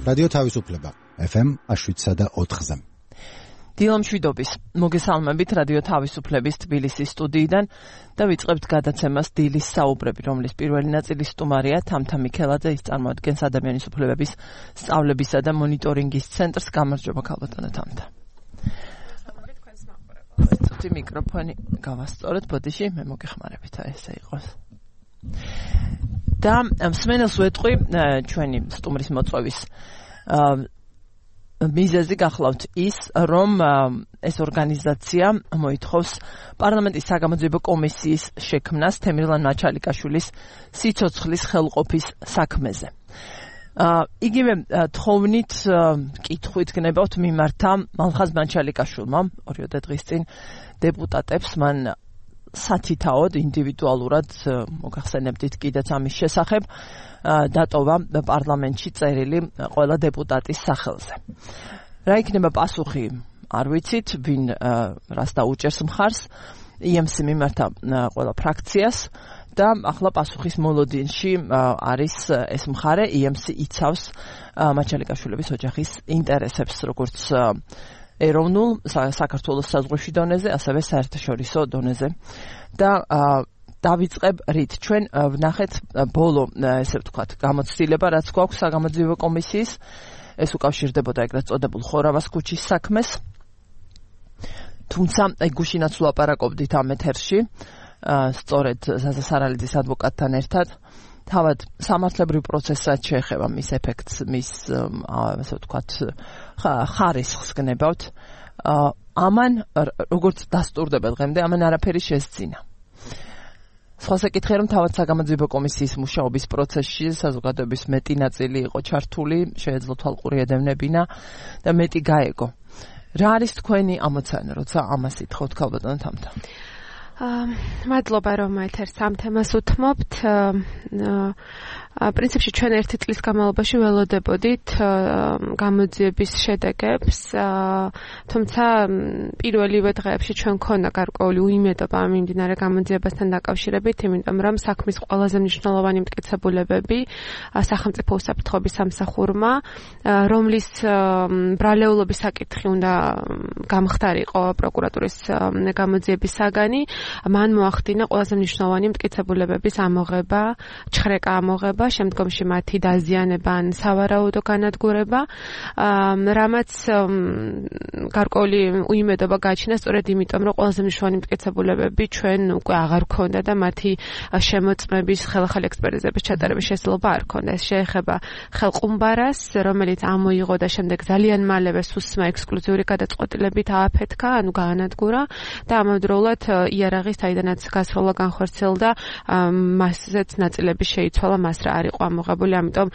რადიო თავისუფლება FM 7.4-ზე. დილამშვიდობის მოგესალმებით რადიო თავისუფლების თბილისის სტუდიიდან და ვიწყებთ გადაცემას დილის საუბრები, რომლის პირველი ნაწილი სტუმარია თამთა მიქელაძე, ის წარმოადგენს ადამიანის უფლებების სწავლებისა და მონიტორინგის ცენტრს. გამარჯობა ქალბატონო თამთა. ცოტა მიკროფონი გავასწორეთ ბოდიში, მე მოგეხმარებით, ესე იყოს. და მსმენელს ვეტყვი ჩვენი სტუმრის მოწვევის მიზეზი გახლავთ ის, რომ ეს ორგანიზაცია მოითხოვს პარლამენტის საგამოძიებო კომისიის შექმნას თემირლან მაჩალიკაშვილის სიცოცხლის ხელყოფის საქმეზე. იგივე თხოვნით კითხვით გნებავთ მიმართა მალხაზ მაჩალიკაშვილმა 2 დღის წინ დეპუტატებს მან სათითაოდ ინდივიდუალურად მოგახსენებდით კიდეც ამის შესახებ დატოვა პარლამენტში წერილი ყველა დეპუტატის სახელზე. რა იქნება პასუხი არ ვიცით, ვინ რას დაუჭერს მხარს, EMC მიმართა ყველა ფრაქციას და ახლა პასუხის მოლოდინში არის ეს მხარე, EMC იცავს მაჩალიკაშვილების ოჯახის ინტერესებს, როგორც ეროვნულ საქართველოს საზღვრებში დონეზე, ასევე საერთაშორისო დონეზე. და დავიწყებ რით ჩვენ ვნახეთ ბოლო, ესე ვთქვათ, გამოცდილება, რაც გვაქვს საგამოძიებო კომისიის, ეს უკავშირდებოდა ეგრეთ წოდებულ ხორავას ქუჩის საქმეს. თუმცა გუშინაც ვლაპარაკობდით ამ ეთერში, სწორედ ზაზა სარალიძის ადვოკატთან ერთად, თავად სამართლებრივ პროცესსაც შეეხება მის ეფექტს, მის ასე ვთქვათ, ხარისხს გნებავთ. ამან როგორც დასტურდება დღემდე, ამან არაფერი შესძინა. სხვა საკითხია, რომ თავად საგამოძიებო კომისიის მუშაობის პროცესში საზოგადოების მეტი ნაწილი იყო ჩართული, შეეძლო თვალყური ედევნებინა და მეტი გაეგო. რა არის თქვენი ამოცანა, როცა ამას ითხოვთ ქალბატონო თამთა? მადლობა რომ ეთერს ამ თემას უთმობთ. პრინციპში ჩვენ 1 წლის განმავლობაში ველოდებოდით გამოძიების შედეგებს, თუმცა პირველივე დღეებში ჩვენ ქონდა გარკვეული უიმედობა ამ მიმდინარე გამოძიებასთან დაკავშირებით, იმიტომ რომ საქმის ყველაზე მნიშვნელოვანი მტკიცებულებები სახელმწიფო უსაფრთხოების სამსახურმა, რომლის ბრალეულობის საკითხი უნდა გამხდარიყო პროკურატურის გამოძიების საგანი, მან მოახდინა ყველაზე მნიშვნელოვანი მტკიცებულებების ამოღება, ჩხრეკა ამოღება, შემდგომში მათი დაზიანება ან სავარაუდო განადგურება, რამაც გარკვეული უიმედობა გააჩინა სწორედ იმიტომ, რომ ყველაზე მნიშვნელოვანი მტკიცებულებები ჩვენ უკვე აღარ ქონდა და მათი შემოწმების ხელახალი ექსპერტიზების ჩატარების შესაძლებლობა არ ქონდა. ეს შეეხება ხელყუმბარას, რომელიც ამოიღო და შემდეგ ძალიან მალევე სუსმა ექსკლუზიური გადაწყვეტილებით ააფეთქა, ანუ გაანადგურა და ამავდროულად იარაღის საიდანაც გასროლა განხორციელდა, მასზეც ნაწილები შეიცვალა, მას რა არ იყო ამოღებული, ამიტომ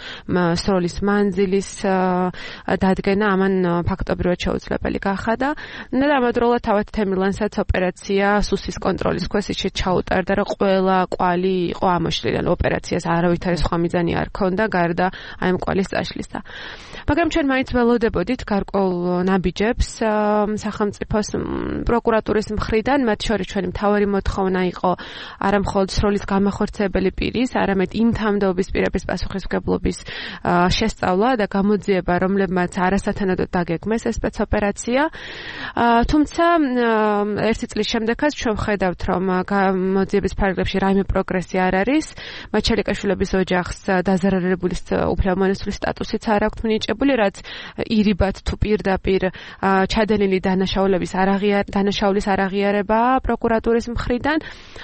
სროლის მანძილის დადგენა ამან ფაქტობრივად შეუძლებელი გახადა და ამავდროულად თავად თემირლანსაც ოპერაცია სუსის კონტროლის ქვეშ ისე ჩაუტარდა, რომ ყველა კვალი იყო ამოშლილი, ანუ ოპერაციას არავითარი სხვა მიზანი არ ქონდა გარდა აი ამ კვალის წაშლისა. მაგრამ ჩვენ მაინც ველოდებოდით გარკვეულ ნაბიჯებს სახელმწიფოს პროკურატურის მხრიდან, მათ შორის ჩვენი მთავარი მოთხოვნა იყო არა მხოლოდ სროლის გამახორციელებელი პირის, არამედ იმ თანამდებობის პირების პასუხისმგებლობის შესწავლა და გამოძიება, რომლებმაც არასათანადოდ დაგეგმეს ეს სპეცოპერაცია. თუმცა 1 წლის შემდეგაც ჩვენ ვხედავთ, რომ გამოძიების ფარგლებში რაიმე პროგრესი არ არის. მაჩალიკაშვილების ოჯახს დაზარალებული უფლებამონესული სტატუსიც არ აქვთ მინიჭებული, რაც ირიბად თუ პირდაპირ ჩადენილი დანაშაულის არაღიარებაა პროკურატურის მხრიდან.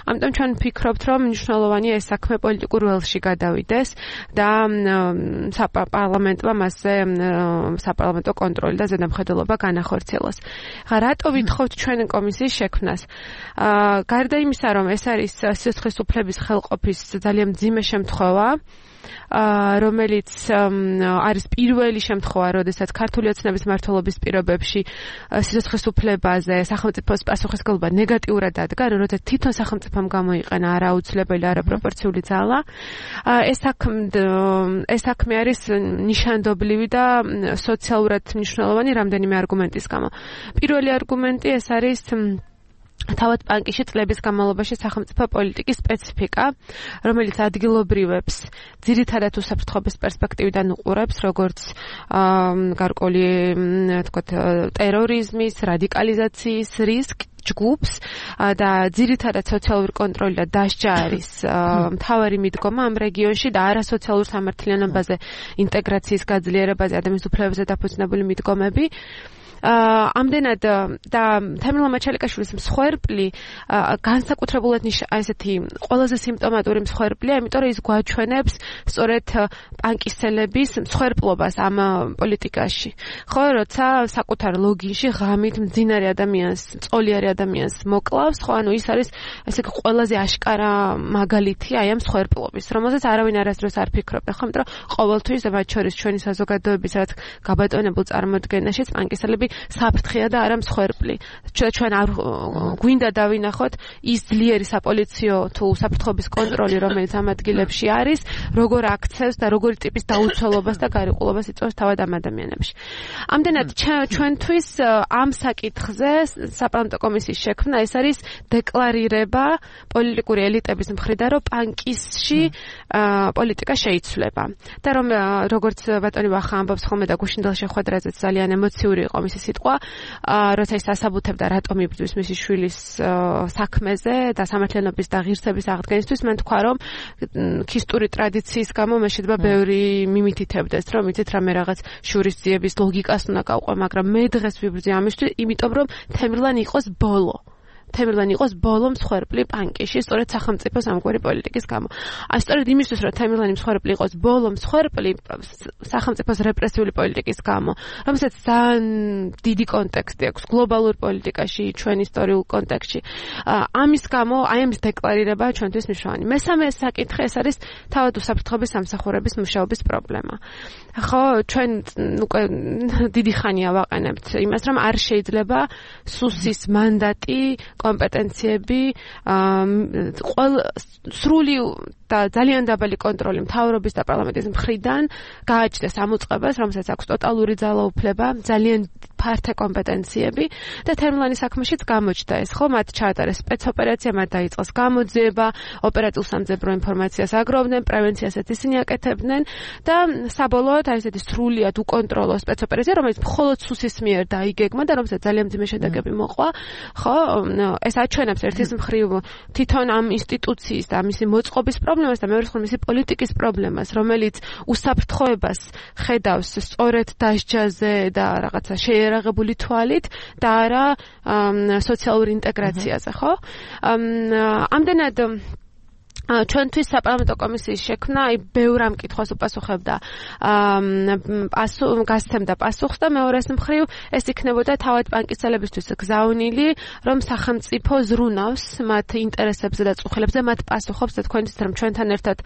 ამიტომ ჩვენ ვფიქრობთ, რომ მნიშვნელოვანია ეს საქმე პოლიტიკურ ველში გადავიდეს და საპარლამენტმა მასზე საპარლამენტო კონტროლი და ზედამხედველობა განახორციელოს. რატო ვითხოვთ ჩვენ კომისიის შექმნას? გარდა იმისა, რომ ეს არის სიცოცხლის უფლების ხელყოფის ძალიან მძიმე შემთხვევა, რომელიც არის პირველი შემთხვევა, როდესაც ქართული ოცნების მმართველობის პირობებში სიცოცხლის უფლებაზე სახელმწიფოს პასუხისმგებლობა ნეგატიურად დადგა, როდესაც თვითონ სახელმწიფომ გამოიყენა არაუცილებელი, არაპროპორციული ძალა. ეს საქმე არის ნიშანდობლივი და სოციალურად მნიშვნელოვანი რამდენიმე არგუმენტის გამო. პირველი არგუმენტი ეს არის თავად პანკიში წლების განმავლობაში სახელმწიფო პოლიტიკის სპეციფიკა, რომელიც ადგილობრივებს ძირითადად უსაფრთხოების პერსპექტივიდან უყურებს, როგორც გარკვეული, თქვათ, ტერორიზმის, რადიკალიზაციის რისკს, ჯგუფს და ძირითადად სოციალური კონტროლი და დასჯა არის მთავარი მიდგომა ამ რეგიონში და არასოციალურ სამართლიანობაზე, ინტეგრაციის გაძლიერებაზე, ადამიანის უფლებებზე დაფუძნებული მიდგომები. ამდენად და თემურლენ მაჩალიკაშვილის მსხვერპლი განსაკუთრებულად ესეთი ყველაზე სიმპტომატური მსხვერპლია, იმიტომ რომ ის გვაჩვენებს სწორედ პანკისტელების მსხვერპლობას ამ პოლიტიკაში. ხო, როცა საკუთარ ლოგინში ღამით მძინარე ადამიანს, მწოლიარე ადამიანს მოკლავს, ხო, ანუ ის არის ესე იგი ყველაზე აშკარა მაგალითი აი ამ მსხვერპლობის, რომელზეც არავინ არასდროს არ ფიქრობდა, ხო, იმიტომ რომ ყოველთვის მათ შორის ჩვენი საზოგადოების რაც გაბატონებულ წარმოდგენაშიც პანკისტელები საფრთხეა და არა მსხვერპლი. ჩვენ არ გვინდა დავინახოთ ის ძლიერი საპოლიციო თუ საფრთხობის კონტროლი, რომელიც ამ ადგილებში არის, როგორ აქცევს და როგორი ტიპის დაუცველობას და გარიყულობას იწვევს თავად ამ ადამიანებში. ამდენად ჩვენთვის ამ საკითხზე საპარლამენტო კომისიის შექმნა ეს არის დეკლარირება პოლიტიკური ელიტების მხრიდან, რომ პანკისში პოლიტიკა შეიცვლება. და რომ როგორც ბატონი ვახა ამბობს ხოლმე და გუშინდელ შეხვედრაზეც ძალიან ემოციური იყო მისი სიტყვა, როცა ის ასაბუთებდა რატომ იბრძვის მისი შვილის საქმეზე და სამართლიანობის და ღირსების აღდგენისთვის, მან თქვა, რომ ქისტური ტრადიციის გამო მე შეიძლება ბევრი მიმითითებდეს, რომ იცით რამე რაღაც შურისძიების ლოგიკას უნდა გავყვე, მაგრამ მე დღეს ვიბრძვი ამისთვის, იმიტომ რომ თემურლენ იყოს ბოლო. თემურლენ იყოს ბოლო მსხვერპლი პანკიში, სწორედ სახელმწიფოს ამგვარი პოლიტიკის გამო. სწორედ იმისთვის, რომ თემურლენი მსხვერპლი იყოს ბოლო მსხვერპლი სახელმწიფოს რეპრესიული პოლიტიკის გამო, რომელსაც ძალიან დიდი კონტექსტი აქვს გლობალურ პოლიტიკაში, ჩვენ ისტორიულ კონტექსტში. ამის გამო, აი ამის დეკლარირება ჩვენთვის მნიშვნელოვანი. მესამე საკითხი ეს არის თავად უსაფრთხოების სამსახურების მუშაობის პრობლემა. ხო, ჩვენ უკვე დიდი ხანია ვაყენებთ იმას, რომ არ შეიძლება სუსის მანდატი კომპეტენციები სრული და ძალიან დაბალი კონტროლი მთავრობის და პარლამენტის მხრიდან გააჩნდეს ამ უწყებას, რომელსაც აქვს ტოტალური ძალაუფლება, ძალიან ფართე კომპეტენციები და თემურლენის საქმეშიც გამოჩნდა ეს, ხო, მათ ჩაატარეს სპეცოპერაცია, მათ დაიწყეს გამოძიება, ოპერატიულ სამძებრო ინფორმაციას აგროვდნენ, პრევენციასაც ისინი აკეთებდნენ და საბოლოოდ აი ესეთი სრულიად უკონტროლო სპეცოპერაცია, რომელიც მხოლოდ სუსის მიერ დაიგეგმა და რომელსაც ძალიან მძიმე შედეგები მოყვა, ხო, ეს აჩვენებს ერთის მხრივ თვითონ ამ ინსტიტუციის და მისი მოწყობის პრობლემას და მეორე მხრივ მისი პოლიტიკის პრობლემას, რომელიც უსაფრთხოებას ხედავს სწორედ დასჯაზე და რაღაცა შეერაღებული თვალით და არა სოციალურ ინტეგრაციაზე, ხო? ამდენად ჩვენთვის საპარლამენტო კომისიის შექმნა აი ბევრ ამ კითხვას უპასუხებდა გასცემდა პასუხს და მეორეს მხრივ ეს იქნებოდა თავად პანკისტელებისთვის გზავნილი, რომ სახელმწიფო ზრუნავს მათ ინტერესებზე და წუხილებზე, მათ პასუხობს და თქვენთვის რომ ჩვენთან ერთად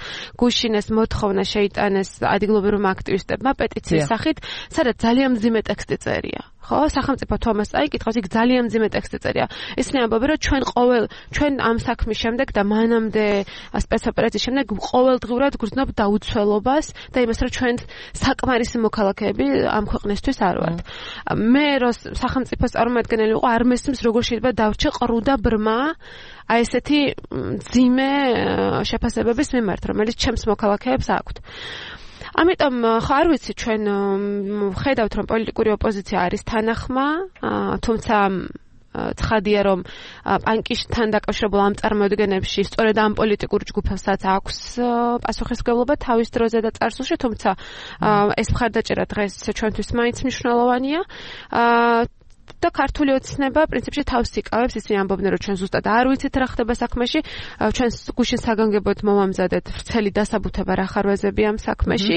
გუშინეს მოთხოვნა შეიტანეს ადგილობრივ აქტივისტებმა პეტიციის სახით, სადაც ძალიან მძიმე ტექსტი წერია. ხო, სახელმწიფო თუ ამას წაიკითხავს, იქ ძალიან მძიმე ტექსტი წერია. ისინი ამბობენ, რომ ჩვენ ამ საქმის შემდეგ და მანამდე სპეცოპერაციის შემდეგ ყოველდღიურად გრძნობ დაუცველობას და იმას, რომ ჩვენ საკმარისი მოქალაქეები ამ ქვეყნისთვის არ ვართ. მე რო სახელმწიფოს წარმომადგენელი ვიყო, არ მესმის როგორ შეიძლება დავრჩე ყრუ და ბრმა აი ესეთი მძიმე შეფასებების მიმართ, რომელიც ჩემს მოქალაქეებს აქვთ. ამიტომ ხო არ ვიცი, ჩვენ ხედავთ, რომ პოლიტიკური ოპოზიცია არის თანახმა, თუმცა ცხადია, რომ პანკისთან დაკავშირებულ ამ წარმოდგენებში სწორედ ამ პოლიტიკურ ჯგუფებსაც აქვს პასუხისმგებლობა თავის დროზე და წარსულში, თუმცა ეს მხარდაჭერა დღეს ჩვენთვის მაინც მნიშვნელოვანია. და ქართული ოცნება პრინციპში თავს იკავებს, ისინი ამბობდნენ, რომ ჩვენ ზუსტად არ ვიცით რა ხდება საქმეში, ჩვენ გუშინ საგანგებოდ მოვამზადეთ ვრცელი დასაბუთება რა ხარვეზები ამ საქმეში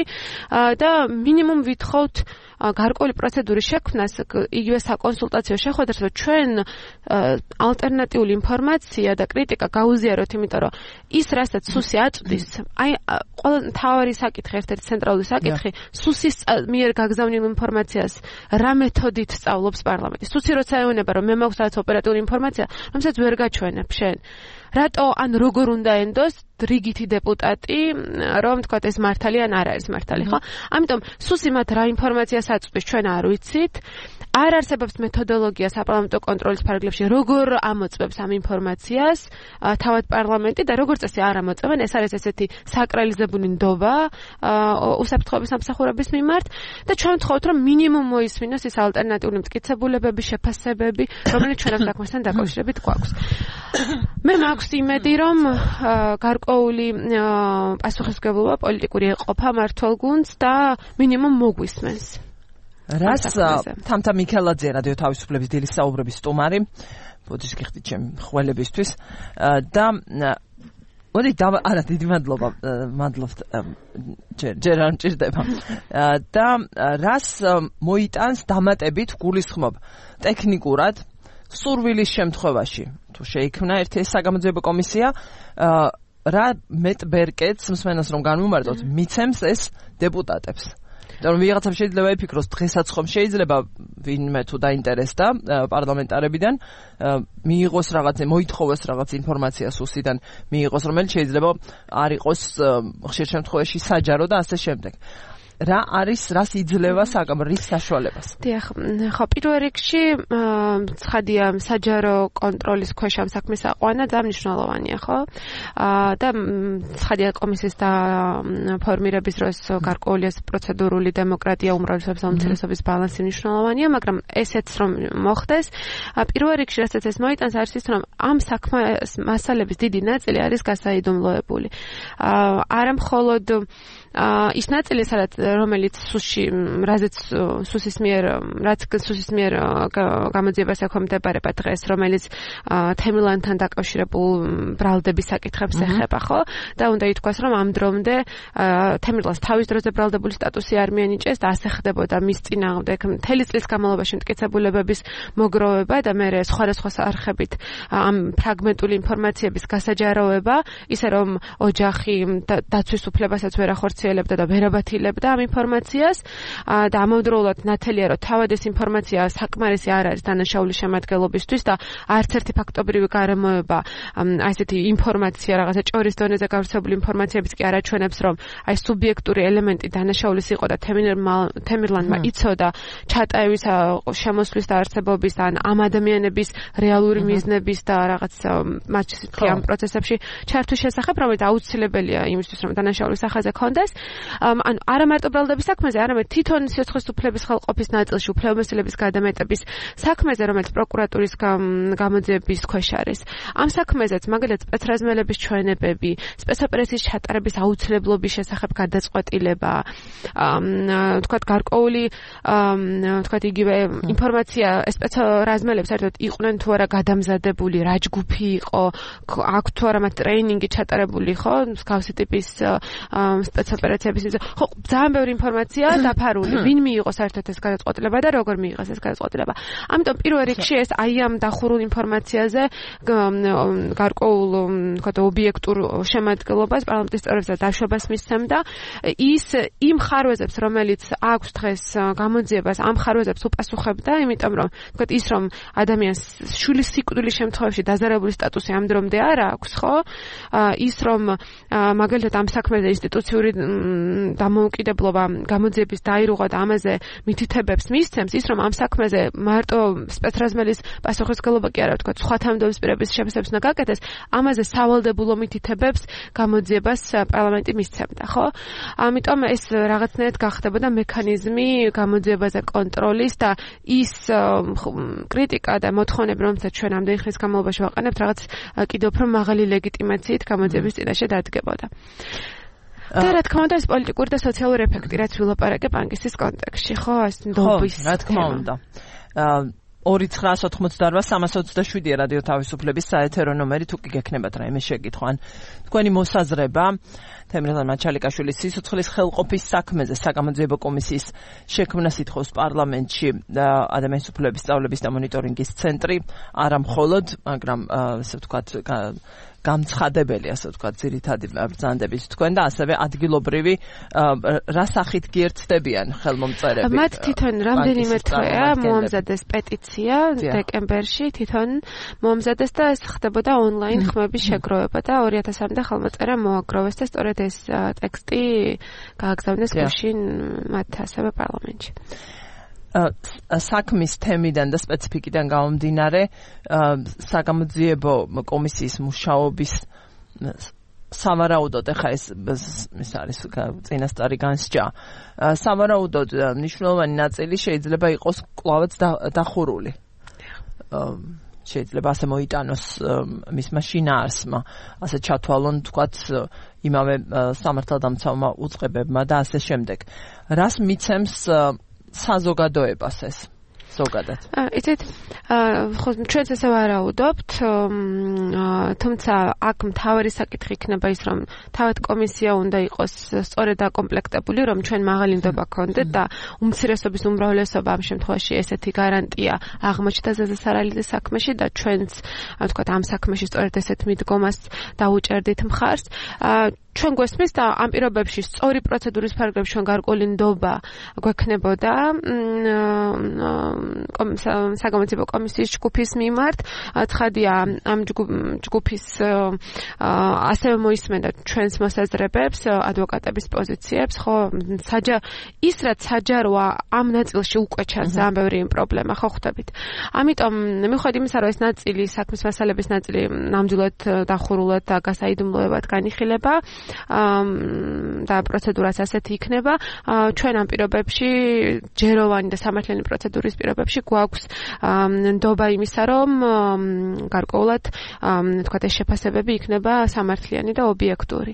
და მინიმუმ ვითხოვთ გარკვეული პროცედურის შექმნას, იგივე საკონსულტაციო შეხვედრას, რომ ჩვენ ალტერნატიული ინფორმაცია და კრიტიკა გაუზიაროთ, იმიტომ რომ ის რასაც სუსი აწვდის, აი ყველა მთავარი საკითხი, ერთ-ერთი ცენტრალური საკითხი, სუსის მიერ გაგზავნილ ინფორმაციას რა მეთოდით სწავლობს პარლამენტი. სუსი როცა ეუბნება, რომ მე მაქვს რაღაც ოპერატიული ინფორმაცია, რომელსაც ვერ გაჩვენებ შენ. რატო ან როგორ უნდა ენდოს რიგითი დეპუტატი, რომ თქვათ ეს მართალი ან არ არის მართალი, ხო? ამიტომ სუსი მათ რა ინფორმაციას აწვდის, ჩვენ არ ვიცით. არ არსებობს მეთოდოლოგია საპარლამენტო კონტროლის ფარგლებში, როგორ ამოწმებს ამ ინფორმაციას თავად პარლამენტი და როგორც წესი არ ამოწმენ, ეს არის ესეთი საკრალიზებული ნდობა უსაფრთხოების სამსახურების მიმართ და ჩვენ ვთხოვთ, რომ მინიმუმ მოისმინოს ეს ალტერნატიული მტკიცებულებები, შეფასებები, რომელიც ჩვენ ამ საქმესთან დაკავშირებით გვაქვს. მე მაქვს იმედი, რომ გარკვეული პასუხისმგებლობა პოლიტიკური ეყოფა მართლ გუნდს და მინიმუმ მოგვისმენს. რას თამთა მიქელაძე რადიო თავისუფლების დილის საუბრების სტუმარი ბოდიშ გიხდით ჩემ ხველებისთვის და მოდი არა დიდი მადლობთ ჯერ არ მჭირდება და რას მოიტანს დამატებით გულისხმობ ტექნიკურად სურვილის შემთხვევაში თუ შეიქმნა ერთი საგამოძიებო კომისია რა მეტბერკეტს მსმენელს რომ განვუმარტოთ მიცემს ეს დეპუტატებს და ვიღაცამ შეიძლება იფიქროს დღესაც ხომ შეიძლება ვინმე თუ დაინტერესდა პარლამენტარებიდან მიიღოს რაღაც მოითხოვოს რაღაც ინფორმაცია სუსიდან მიიღოს რომელიც შეიძლება არ იყოს ხშირ შემთხვევაში საჯარო და ასე შემდეგ რა არის რას იძლევა საკამრის საშუალებას დიახ ხო პირველ რიგში ცხადია საჯარო კონტროლის ქვეშ ამ საქმის აყვანა და მნიშვნელოვანია ხო და ცხადია კომისიის და ფორმირების დროს გარკვეული პროცედურული დემოკრატია უმრავლესობის უმცირესობის ბალანსი მნიშვნელოვანია მაგრამ ესეც რომ მოხდეს პირველ რიგში რასაც ეს მოიტანს არის ის რომ ამ საქმის მასალების დიდი ნაწილი არის გასაიდუმლოებული არა მხოლოდ ის ნაწილი სადაც რომელიც რაზეც სუსის მიერ გამოძიებას ექვემდებარება დღეს რომელიც თემილანთან დაკავშირებულ ბრალდების საკითხებს ეხება ხო და უნდა ითქვას რომ ამ დრომდე თემილანს თავის დროზე ბრალდებული სტატუსი არ მიენიჭეს და ასე ხდებოდა მის წინააღმდეგ მთელი წლის განმავლობაში მტკიცებულებების მოგროვება და მე სხვადასხვა არხებით ამ ფრაგმენტული ინფორმაციების გასაჯაროება ისე რომ ოჯახი დაცვის უფლებასაც ვერ ახორციელებდა და ვერ აბათილებდა ამ ინფორმაციას და ამავდროულად ნათელია რომ თავად ეს ინფორმაცია საკმარისი არ არის დანაშაულის შემადგენლობისთვის და არც ერთი ფაქტობრივი გარემოება აი ესეთი ინფორმაცია რაღაცა ჭორის დონეზე გავრცელებული ინფორმაციებიც კი არ აჩვენებს რომ აი სუბიექტური ელემენტი დანაშაულის იყო და თემირლანდმა იცოდა ჩატაევის შემოსვლის და არსებობის ან ამ ადამიანების რეალური მიზნების და რაღაც მასში ამ პროცესებში ჩართვის შესახებ რომელიც აუცილებელია იმისთვის რომ დანაშაულის სახაზე კონდეს ანუ არა მარტო ბრალდების საქმეზე, არამედ თვითონ სიცოცხლის უფლების ხელყოფის ნაწილში უფლებამოსილების გადამეტების საქმეზე, რომელიც პროკურატურის გამოძიების ქვეშ არის. ამ საქმეზეც მაგალითად სპეცრაზმელების ჩვენებები, სპეცოპერაციის ჩატარების აუცილებლობის შესახებ გადაწყვეტილება, თქვათ გარკვეული თქვათ იგივე ინფორმაცია სპეცრაზმელებს საერთოდ იყვნენ თუ არა გადამზადებული, რა ჯგუფი იყო, აქვს თუ არა მათ ტრეინინგი ჩატარებული, ხო, მსგავსი ტიპის სპეცოპერაციების ხო ძალიან ბევრი ინფორმაცია დაფარული ვინ მიიღო საერთოდ ეს გადაწყვეტილება და როგორ მიიღეს ეს გადაწყვეტილება ამიტომ პირველ რიგში ეს აი ამ დახურულ ინფორმაციაზე გარკვეულ თქვა ობიექტურ შემადგენლობას პარლამენტის წევრებს დაშვებას მისცემდა ის იმ ხარვეზებს რომელიც აქვს დღეს გამოძიებას ამ ხარვეზებს უპასუხებდა იმიტომ რომ თქვა ის რომ ადამიანს შვილის სიკვდილის შემთხვევაში დაზარალური სტატუსი ამ დრომდე არ აქვს ხო ის რომ მაგალითად ამ საქმეზე ინსტიტუციური დამოუკიდებლობა გამოძიების დაირღვა და ამაზე მითითებებს მისცემს ის რომ ამ საქმეზე მარტო სპეცრაზმელის პასუხისმგებლობა კი არა ვთქვათ სხვა თანამდებობის პირების შეფასებებს უნდა გაკეთდეს ამაზე სავალდებულო მითითებებს გამოძიებას პარლამენტი მისცემდა ხო ამიტომ ეს რაღაცნაირად გახდებოდა მექანიზმი გამოძიებაზე კონტროლის და ის კრიტიკა და მოთხოვნები რომელსაც ჩვენ ამდენი ხნის განმავლობაში ვაყენებთ რაღაც კიდევ უფრო მაღალი ლეგიტიმაციით გამოძიების წინაშე დადგებოდა და რა თქმა უნდა ეს პოლიტიკური და სოციალური ეფექტი რაც ვილაპარაკებ ანკისის კონტექსტში ხო ეს ნდობის რა თქმა უნდა 2988327 რადიო თავისუფლების საეთერო ნომერი თუ კი გექნებათ რაიმე შეკითხვა ან თქვენი მოსაზრება თემრაზან მაჩალიკაშვილის სიცოცხლის ხელყოფის საქმეზე საგამოძიებო კომისიის შექმნას ითხოვს პარლამენტში ადამიანის უფლებების სწავლების და მონიტორინგის ცენტრი არა მხოლოდ მაგრამ ასე ვთქვათ გამცხადებელი, ასე ვთქვათ, ძირითადი ბრძანდების თქვენ და ასევე ადგილობრივი რა სახით გიერთდებიან ხელმომწერები. მათ თვითონ რამდენიმე თვეა მოამზადეს პეტიცია დეკემბერში, თვითონ მოამზადეს და ეს ხდებოდა ონლაინ ხმების შეგროვება და 2000-მდე ხელმოწერა მოაგროვეს და სწორედ ეს ტექსტი გააგზავნეს გუშინ მათ ასევე პარლამენტში. საქმის თემიდან და სპეციფიკიდან გამომდინარე საგამოძიებო კომისიის მუშაობის სავარაუდოდ ახლა ეს არის წინასწარი განსჯა. სავარაუდოდ მნიშვნელოვანი ნაწილი შეიძლება იყოს კვლავაც დახურული. შეიძლება ასე მოიტანოს მისმა შინაარსმა, ასე ჩათვალონ თქვათ იმავე სამართალდამცავმა უწყებებმა და ასე შემდეგ. რას მიცემს საზოგადოებას ეს ზოგადად? იცით, ხო ჩვენც ესე ვარაუდობთ, თუმცა აქ მთავარი საკითხი იქნება ის, რომ თავად კომისია უნდა იყოს სწორედ დაკომპლექტებული, რომ ჩვენ მაღალი ნდობა გქონდეთ და უმცირესობის უმრავლესობა ამ შემთხვევაში ესეთი გარანტია აღმოჩნდა ზეზასარალიძის საქმეში და ჩვენც ვთქვათ ამ საქმეში სწორედ ესეთ მიდგომას დაუჭერდით მხარს. ჩვენ გვესმის და ამ პირობებში სწორი პროცედურის ფარგლებში ჩვენ გარკვეული ნდობა გვექნებოდა საგამოძიებო კომისიის ჯგუფის მიმართ. ცხადია, ამ ჯგუფის ასევე მოისმენდა ჩვენს მოსაზრებებს, ადვოკატების პოზიციებს, ხო, ის რაც საჯაროა ამ ნაწილში უკვე ჩანს ძალიან ბევრი პრობლემა, ხო ხვდებით. ამიტომ მიუხედავად იმისა, რომ ეს ნაწილი, საქმის მასალების ნაწილი ნამდვილად დახურულად და გასაიდუმლოებად განიხილება და პროცედურაც ასეთი იქნება, ჩვენ ამ პირობებში ჯეროვანი და სამართლიანი პროცედურის პირობებში გვაქვს ნდობა იმისა, რომ გარკვეულად თქვათ ეს შეფასებები იქნება სამართლიანი და ობიექტური.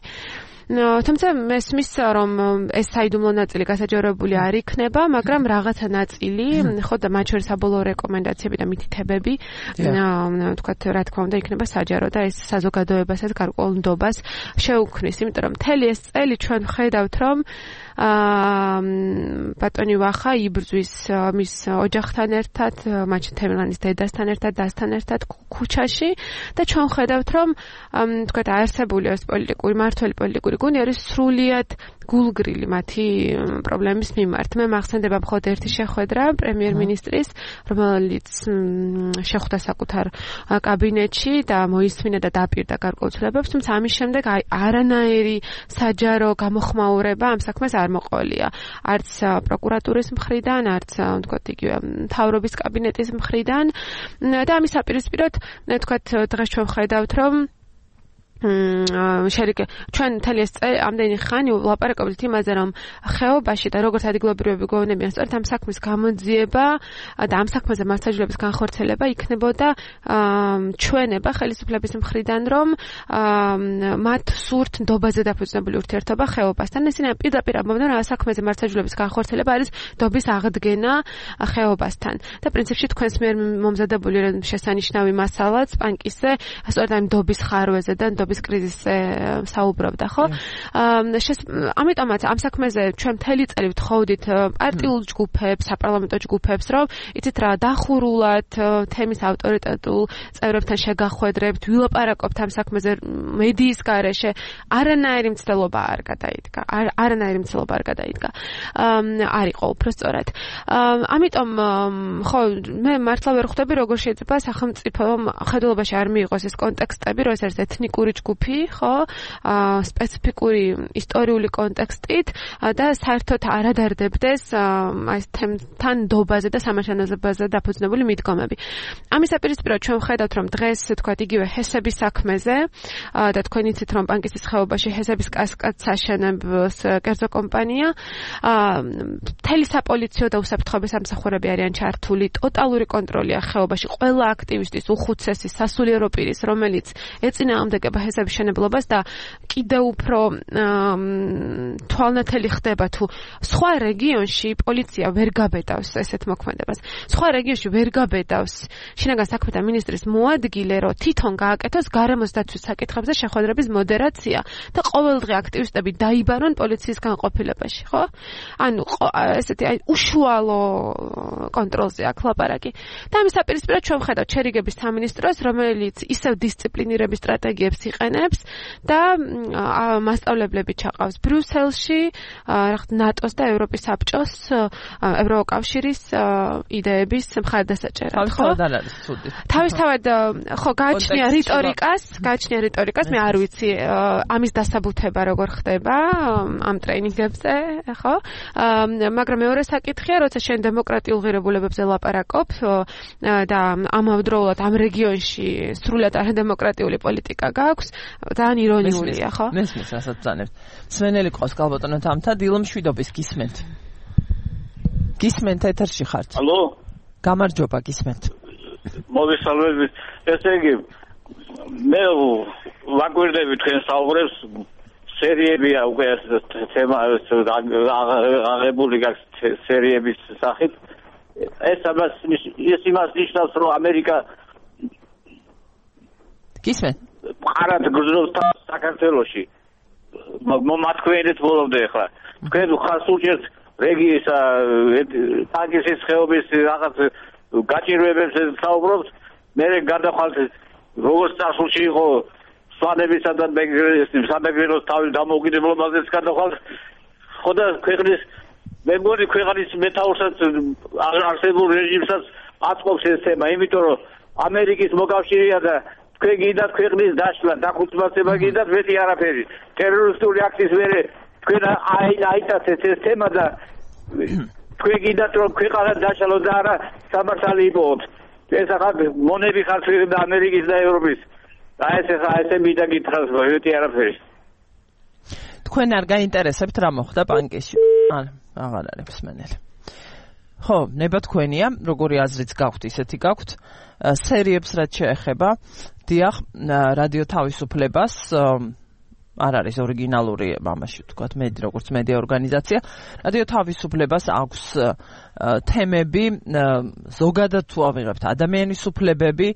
თუმცა მესმის, რომ ეს საიდუმლო ნაწილი გასაჯაროებული არ იქნება, მაგრამ რაღაცა ნაწილი, ხო და მათ შორის საბოლოო რეკომენდაციები და მითითებები, თქვათ, რა თქმა უნდა, იქნება საჯარო და ეს საზოგადოებასაც გარკვეულ ნდობას შეუქმნის, იმიტომ რომ მთელი ეს წელი ჩვენ ვხედავთ, რომ ბატონი ვახა იბრძვის მის ოჯახთან ერთად, მათ თემლანის დედასთან ერთად, დასთან ერთად ქუჩაში და ჩვენ ვხედავთ, რომ თქვათ არსებული ეს პოლიტიკური მართველი პოლიტიკური გუნდი არის სრულიად გულგრილი მათი პრობლემის მიმართ. მე მახსენდება მხოლოდ ერთი შეხვედრა პრემიერ-მინისტრის, რომელიც შეხვდა საკუთარ კაბინეტში და მოისმინა და დაპირდა გარკვეულ ცვლილებებს, თუმცა ამის შემდეგ არანაირი საჯარო გამოხმაურება ამ საქმეს არ მოყოლია. არც პროკურატურის მხრიდან, არც თქვათ იგივე მთავრობის კაბინეტის მხრიდან და ამის საპირისპიროდ თქვათ დღეს ჩვენ ვხედავთ, რომ ჩვენ მთელი ეს წელი ამდენი ხანი ვლაპარაკობთ იმაზე, რომ ხეობაში და როგორც ადგილობრივები გვეუბნებიან, სწორედ ამ საქმის გამოძიება და ამ საქმეზე მასშტაბების განხორციელება იქნებოდა ჩვენება ხელისუფლების მხრიდან, რომ მათ სურთ ნდობაზე დაფუძნებული ურთიერთობა ხეობასთან. ისინი პირდაპირ ამბობდნენ, რომ საქმეზე მასშტაბების განხორციელება არის ნდობის აღდგენა ხეობასთან. და პრინციპში თქვენს მიერ მომზადებული შესანიშნავი მასალაც პანკისზე სწორედ ამ ნდობის ხარვეზე და ნდობის კრიზისზე საუბრობდა, ხო? ამიტომაც ამ საქმეზე ჩვენ მთელი წელი ვთხოვდით პარტიულ ჯგუფებს, საპარლამენტო ჯგუფებს, რომ იცით რა, დახურულად თემის ავტორიტეტულ წევრებთან შეგახვედრებთ, ვილაპარაკობთ ამ საქმეზე მედიის გარეშე, არანაირი მცდელობა არ გადაიდგა. არ იყო უბრალოდ. ამიტომ ხო, მე მართლა ვერ ხვდები, როგორ შეიძლება სახელმწიფომ ხედულობაში არ მიიღოს ეს კონტექსტები, რომ ეს არის ეთნიკური ჯგუფი, ხო, სპეციფიკური ისტორიული კონტექსტით და საერთოდ არ ადარდებდეს აი თემთან ნდობაზე და სამართლებაზე დაფუძნებული მიდგომები. ამის საპირისპიროდ ჩვენ ვხედავთ, რომ დღეს თქვათ იგივე ჰესების საქმეზე და თქვენ იცით, რომ პანკისის ხეობაში ჰესების კასკადს აშენებს კერძო კომპანია, მთელი საპოლიციო და უსაფრთხოების სამსახურები არიან ჩართული, ტოტალური კონტროლია ხეობაში ყველა აქტივისტის, უხუცესის, სასულიერო პირის, რომელიც ეწინააღმდეგება ჰესების შენებლობას და კიდევ უფრო თვალნათელი ხდება თუ სხვა რეგიონში პოლიცია ვერ გაბედავს ესეთ მოქმედებას. სხვა რეგიონში ვერ გაბედავს შინაგან საქმეთა მინისტრის მოადგილე, რომ თვითონ გააკეთოს გარემოს დაცვის საკითხებზე შეხვედრების მოდერაცია და ყოველდღე აქტივისტები დაიბარონ პოლიციის განყოფილებაში, ხო? ანუ ესეთი უშუალო კონტროლზე აქვს ლაპარაკი. და ამის საპირისპიროდ ჩვენ ვხედავთ შერიგების სამინისტროს, რომელიც ისევ დისციპლინირების სტრატეგიებს იყენებს და მასწავლებლები ჩაყავს ბრიუსელში, ნატოს და ევროპის საბჭოს, ევროკავშირის იდეების მხარდასაჭერად. თავისთავად ხო გააჩნია რიტორიკას, მე არ ვიცი ამის დასაბუთება როგორ ხდება ამ ტრეინინგებზე, ხო? მაგრამ მეორე საკითხია, როცა შენ დემოკრატიულ ღირებულებებზე ლაპარაკობ და ამავდროულად ამ რეგიონში სრულად არადემოკრატიული პოლიტიკა გაქვს, ძალიან ირონიულია, ხო? მესმის, რასაც ბრძანებთ. სვენელი ყავს გალბატონო თამთა, დილო მშვიდობის გისმენთ. გისმენთ ეთერში ხართ. ალო? გამარჯობა, გისმენთ. მოგესალმებით. ესე იგი მე ვაკვირდები თქვენ საუბრებს სერიებია უკვე თემა აღებული გაქვს სერიების სახით. ეს იმას ნიშნავს, რომ ამერიკა გისმენთ? ყარად გრძნობს საქართველოში. მომათქვენეთ ბოლომდე ახლა. თქვენ ხართ უჭერთ რეგიონის ტანგისის ხეობის რაღაც გაჭირვებებს საუბრობთ, მე გადახვალთ როგორც წარსულში იყო სვანებისა და სამეგრელოს თავის დამოუკიდებლობაზეც გადახვალთ. ხო და ქვეყნის მე მგონი ქვეყნის მეთაურსაც არსებულ რეჟიმსაც აწყობს ეს თემა, იმიტომ რომ ამერიკის მოკავშირეა და თქვენ გინდათ ქვეყნის დაშლა, დახუცმაცება გინდათ, მეტი არაფერი. ტერორისტული აქტის მერე თქვენ აიტაცეთ ეს თემა და თქვენ გინდათ რომ ქვეყანა დაშალო და არა სამართალი იპოვოთ. ეს ახლა მონები ხართ და ამერიკის და ევროპის. ესე მინდა გითხრათ, მეტი არაფერი. თქვენ არ გაინტერესებთ რა მოხდა პანკისში? აღარ არის მსმენელი. ხო, ნება თქვენია, როგორი აზრიც გაქვთ, ისეთი გაქვთ. სერიებს რაც შეეხება, დიახ, რადიო თავისუფლებას არ არის ორიგინალური ამაში ვთქვათ, როგორც მედია ორგანიზაცია. რადიო თავისუფლებას აქვს თემები, ზოგადად თუ ავიღებთ ადამიანის უფლებები,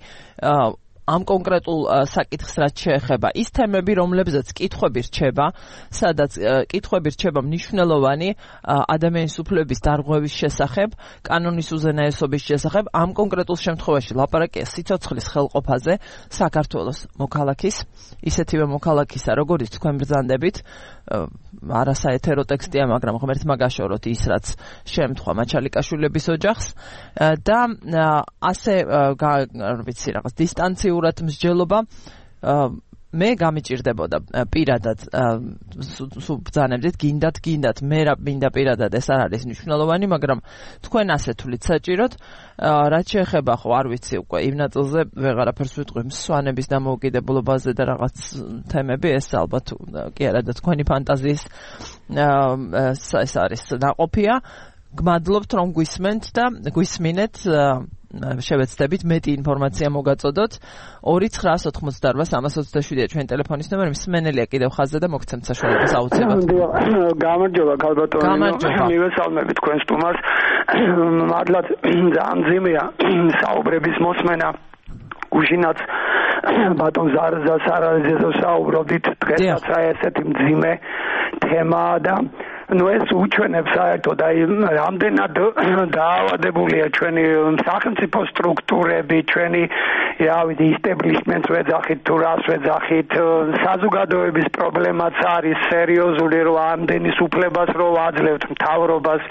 ამ კონკრეტულ საკითხს რაც შეეხება, ის თემები, რომლებზეც კითხვები რჩება, სადაც კითხვები რჩება მნიშვნელოვანი ადამიანის უფლების დარღვევის შესახებ, კანონის უზენაესობის შესახებ, ამ კონკრეტულ შემთხვევაში ლაპარაკია სიცოცხლის ხელყოფაზე საქართველოს მოქალაქის, ისეთივე მოქალაქისა, როგორც თქვენ ბრძანდებით, არასაეთერო ტექსტია, მაგრამ ღმერთმა გაშოროთ ის, რაც შემთხვევა მაჩალიკაშვილების ოჯახს და ასე ვიცი რაღაც დისტანციურად მსჯელობა მე გამიჭირდებოდა პირადად ბრძანებდით გინდათ მე რა მინდა პირადად ეს არ არის მნიშვნელოვანი, მაგრამ თქვენ ასე თulit საჭიროთ რაც შეეხება ხო არ ვიცი უკვე იმ ნაწილზე ვეღარაფერს ვიტყვი მსვანების დამოუკიდებლობაზე და რაღაც თემები ეს ალბათ კი არა და თქვენი ფანტაზიის ეს არის ნაყოფია. გმადლობთ რომ გვისმენთ და გვისმინეთ შევეცდებით მეტი ინფორმაცია მოგაწოდოთ 2-988-327 ჩვენი ტელეფონის ნომერი მსმენელია კიდევ ხაზზე და მოგცემთ საშუალებას აუცილებლად. გამარჯობა გალბატონო. მივესალმებით თქვენ სტუმარს. მადლად ძალიან ძიმეა საუბრების მოსმენა. გუშინაც ბატონ ზარზასარაძეზე საუბრობდით, დღესაც ესეთი მძიმე თემა და ეს უჩვენებს საერთოდ აი რამდენად დაავადებულია ჩვენი სახელმწიფო სტრუქტურები, ჩვენი რავი ისტებლიშმენტს ვეძახით თუ რას ვეძახით, საზოგადოების პრობლემაც არის სერიოზული, რომ ამდენის უფლებას რომ აძლევთ მთავრობას.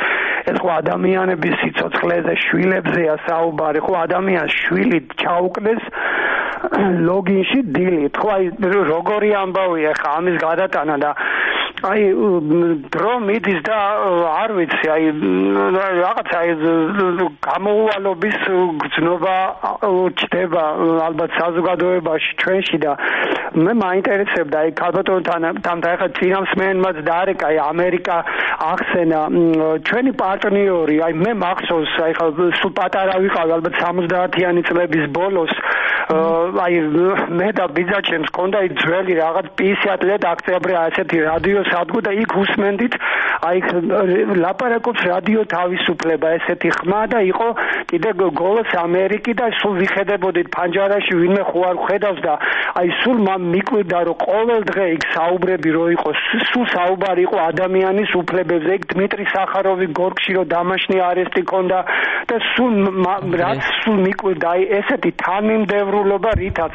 ეს ხო ადამიანების სიცოცხლეზე, შვილებზეა საუბარი, ხო ადამიანს შვილი ჩაუკდეს ლოგინში დილით. ხო აი როგორი ამბავია ხა ამის გადატანა და აი დრო მიდის და არ ვიცი აი რაღაცა გამოუვალობის გრძნობა ჩდება ალბათ საზოგადოებაში ჩვენში და მე მაინტერესებდა აი ქალბატონთან ახლა წინამსმენელმაც დაარეკა აი ამერიკა ახსენა ჩვენი პარტნიორი აი მე მახსოვს აი ხა სულ პატარა ვიყავი ალბათ 70-იანი წლების ბოლოს აი მე და ბიძაჩემს ჰქონდა ის ძველი რაღაც პისიატლეთ აქტიაბრე ასეთი რადიო სადგო და იქ უსმენდით აი ლაპარაკობს რადიო თავისუფლება ესეთი ხმა და იყო კიდე გოლოს ამერიკი და სულ ვიხედებოდით ფანჯარაში ვინმე ხო არ ხედავს და აი სულ მიკვირდა რომ ყოველ დღე იქ საუბრები რო იყო სულ საუბარი იყო ადამიანის უფლებებზე იქ დმიტრი სახაროვი გორგში რო დამაშნი არესტი ქონდა და სულ რაც სულ მიკვირდა აი ესეთი თანმიმდევრულობა რითაც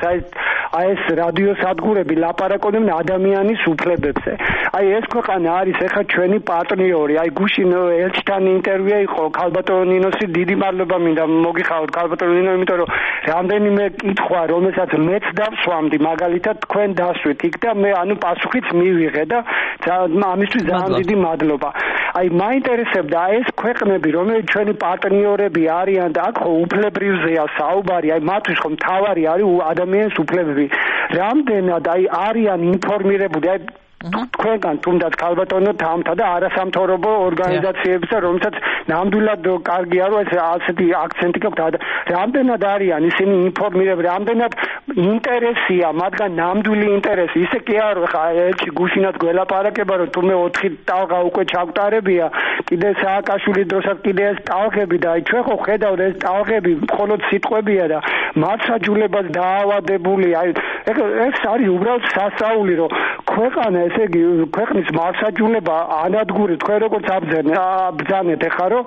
აი ეს რადიო სადგურები ლაპარაკობდნენ ადამიანის უფლებებზე. აი ეს ქვეყანა არის ეხლა ჩვენი პარტნიორი. აი გუშინ ელჩთან ინტერვიუ იყო ქალბატონ ნინოსი, დიდი მადლობა მინდა მოგიხაოთ ქალბატონ ნინო, იმიტომ რომ რამდენიმე კითხვა რომელსაც მეც დავსვამდი მაგალითად თქვენ დასვით იქ და მე პასუხიც მივიღე და ამისთვის ძალიან დიდი მადლობა. აი მაინტერესებდა ეს ქვეყნები რომელიც ჩვენი პარტნიორები არიან და აქ უფლებრივზეა საუბარი, აი მათთვის ხომ მთავარი არის ადამიანის უფლებები. რამდენად აი არიან ინფორმირებული აი თქვენგან თუნდაც ქალბატონო თამთა და არასამთავრობო ორგანიზაციებისა, რომელსაც ნამდვილად კარგია რომ ეს ასეთი აქცენტი გაქვთ. რამდენად არიან ისინი ინფორმირებული, რამდენად ინტერესია მათგან ნამდვილი ინტერესი. ისე კი არ ხა ელჩი გუშინაც გველაპარაკება რომ თუმე 4 ტალღა უკვე ჩაგტარებია, კიდე სააკაშვილის დროსაც კიდე ეს ტალღები და აი ჩვენ ხო ხედავთ ეს ტალღები მხოლოდ სიტყვებია და მართლაც დაავადებული. აი ეს არის უბრალოდ სასწაული რომ ქვეყანა ესე იგი ქვეყნის მარსაჯულება ანადგური თქვენ როგორც ბრძანეთ ეხლა რომ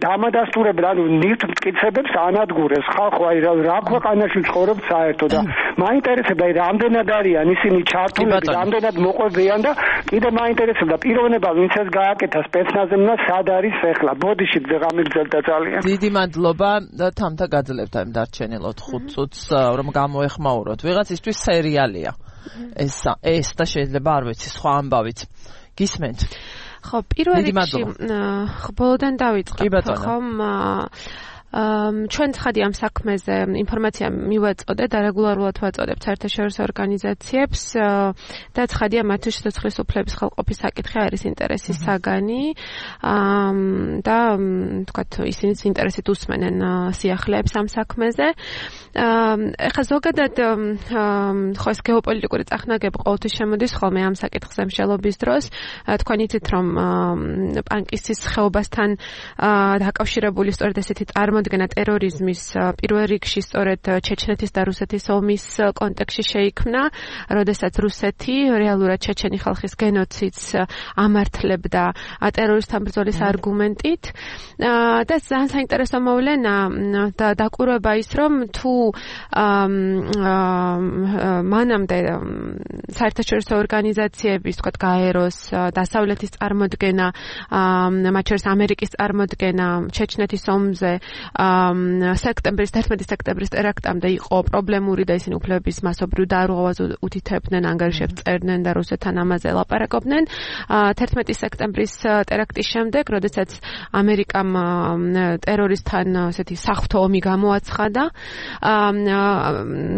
დამადასტურებელ ანუ ნივთს მტკიცებებს ანადგურებს ხალხო აი რა ქვეყანაში ცხოვრობთ საერთოდ და მაინტერესებდა აი რამდენად არიან ისინი ჩართულები, რამდენად მოყვებიან და კიდე მაინტერესებდა პიროვნება ვინც ეს გააკეთა სპეცნაზებმა სად არის ეხლა. ბოდიში გამიგზელდა ძალიან. დიდი მადლობა და თამთა გაძლევთ ამ დარჩენილ 5 წუთს რომ გამოეხმაუროთ. ვიღაცისთვის სერიალია. ეს და შეიძლება არ ვიცი სხვა ამბავით. გისმენთ? ხო, პირველ რიგში ბოლოდან დავიწყებ, ხომ ჩვენ ცხადი ამ საქმეზე ინფორმაცია მივაწოდე და რეგულარულად ვაწოდებ საერთაშორისო ორგანიზაციებს და ცხადია მათთვის სიცოცხლის უფლების ხელყოფის საკითხი არის ინტერესის საგანი და თქვათ ისინიც ინტერესით უსმენენ სიახლეებს ამ საქმეზე. ეხლა ზოგადად ხო ეს გეოპოლიტიკური წახნაგები ყოველთვის შემოდის ხოლმე ამ საკითხზე მსჯელობის დროს. თქვენ იცით რომ პანკისის ხეობასთან დაკავშირებული სწორედ ესეთი წარმოდგენა ტერორიზმის პირველ რიგში სწორედ ჩეჩნეთის და რუსეთის ომის კონტექსტში შეიქმნა, როდესაც რუსეთი რეალურად ჩეჩენი ხალხის გენოციდს ამართლებდა ტერორისტთან ბრძოლის არგუმენტით და ძალიან საინტერესო მოვლენა და დაკვირვება ის რომ თუ მანამდე საერთაშორისო ორგანიზაციების თქვათ გაეროს დასავლეთის წარმოდგენა, მათ შორის ამერიკის წარმოდგენა ჩეჩნეთის ომზე სექტემბრის 11 სექტემბრის ტერაქტამდე იყო პრობლემური და ისინი უფლებების მასობრივ დარღვევას უთითებდნენ, ანგარიშებს წერდნენ და რუსეთთან ამაზე ლაპარაკობდნენ. 11 სექტემბრის ტერაქტის შემდეგ, როდესაც ამერიკამ ტერორისტთან ესეთი საღვთო ომი გამოაცხადა,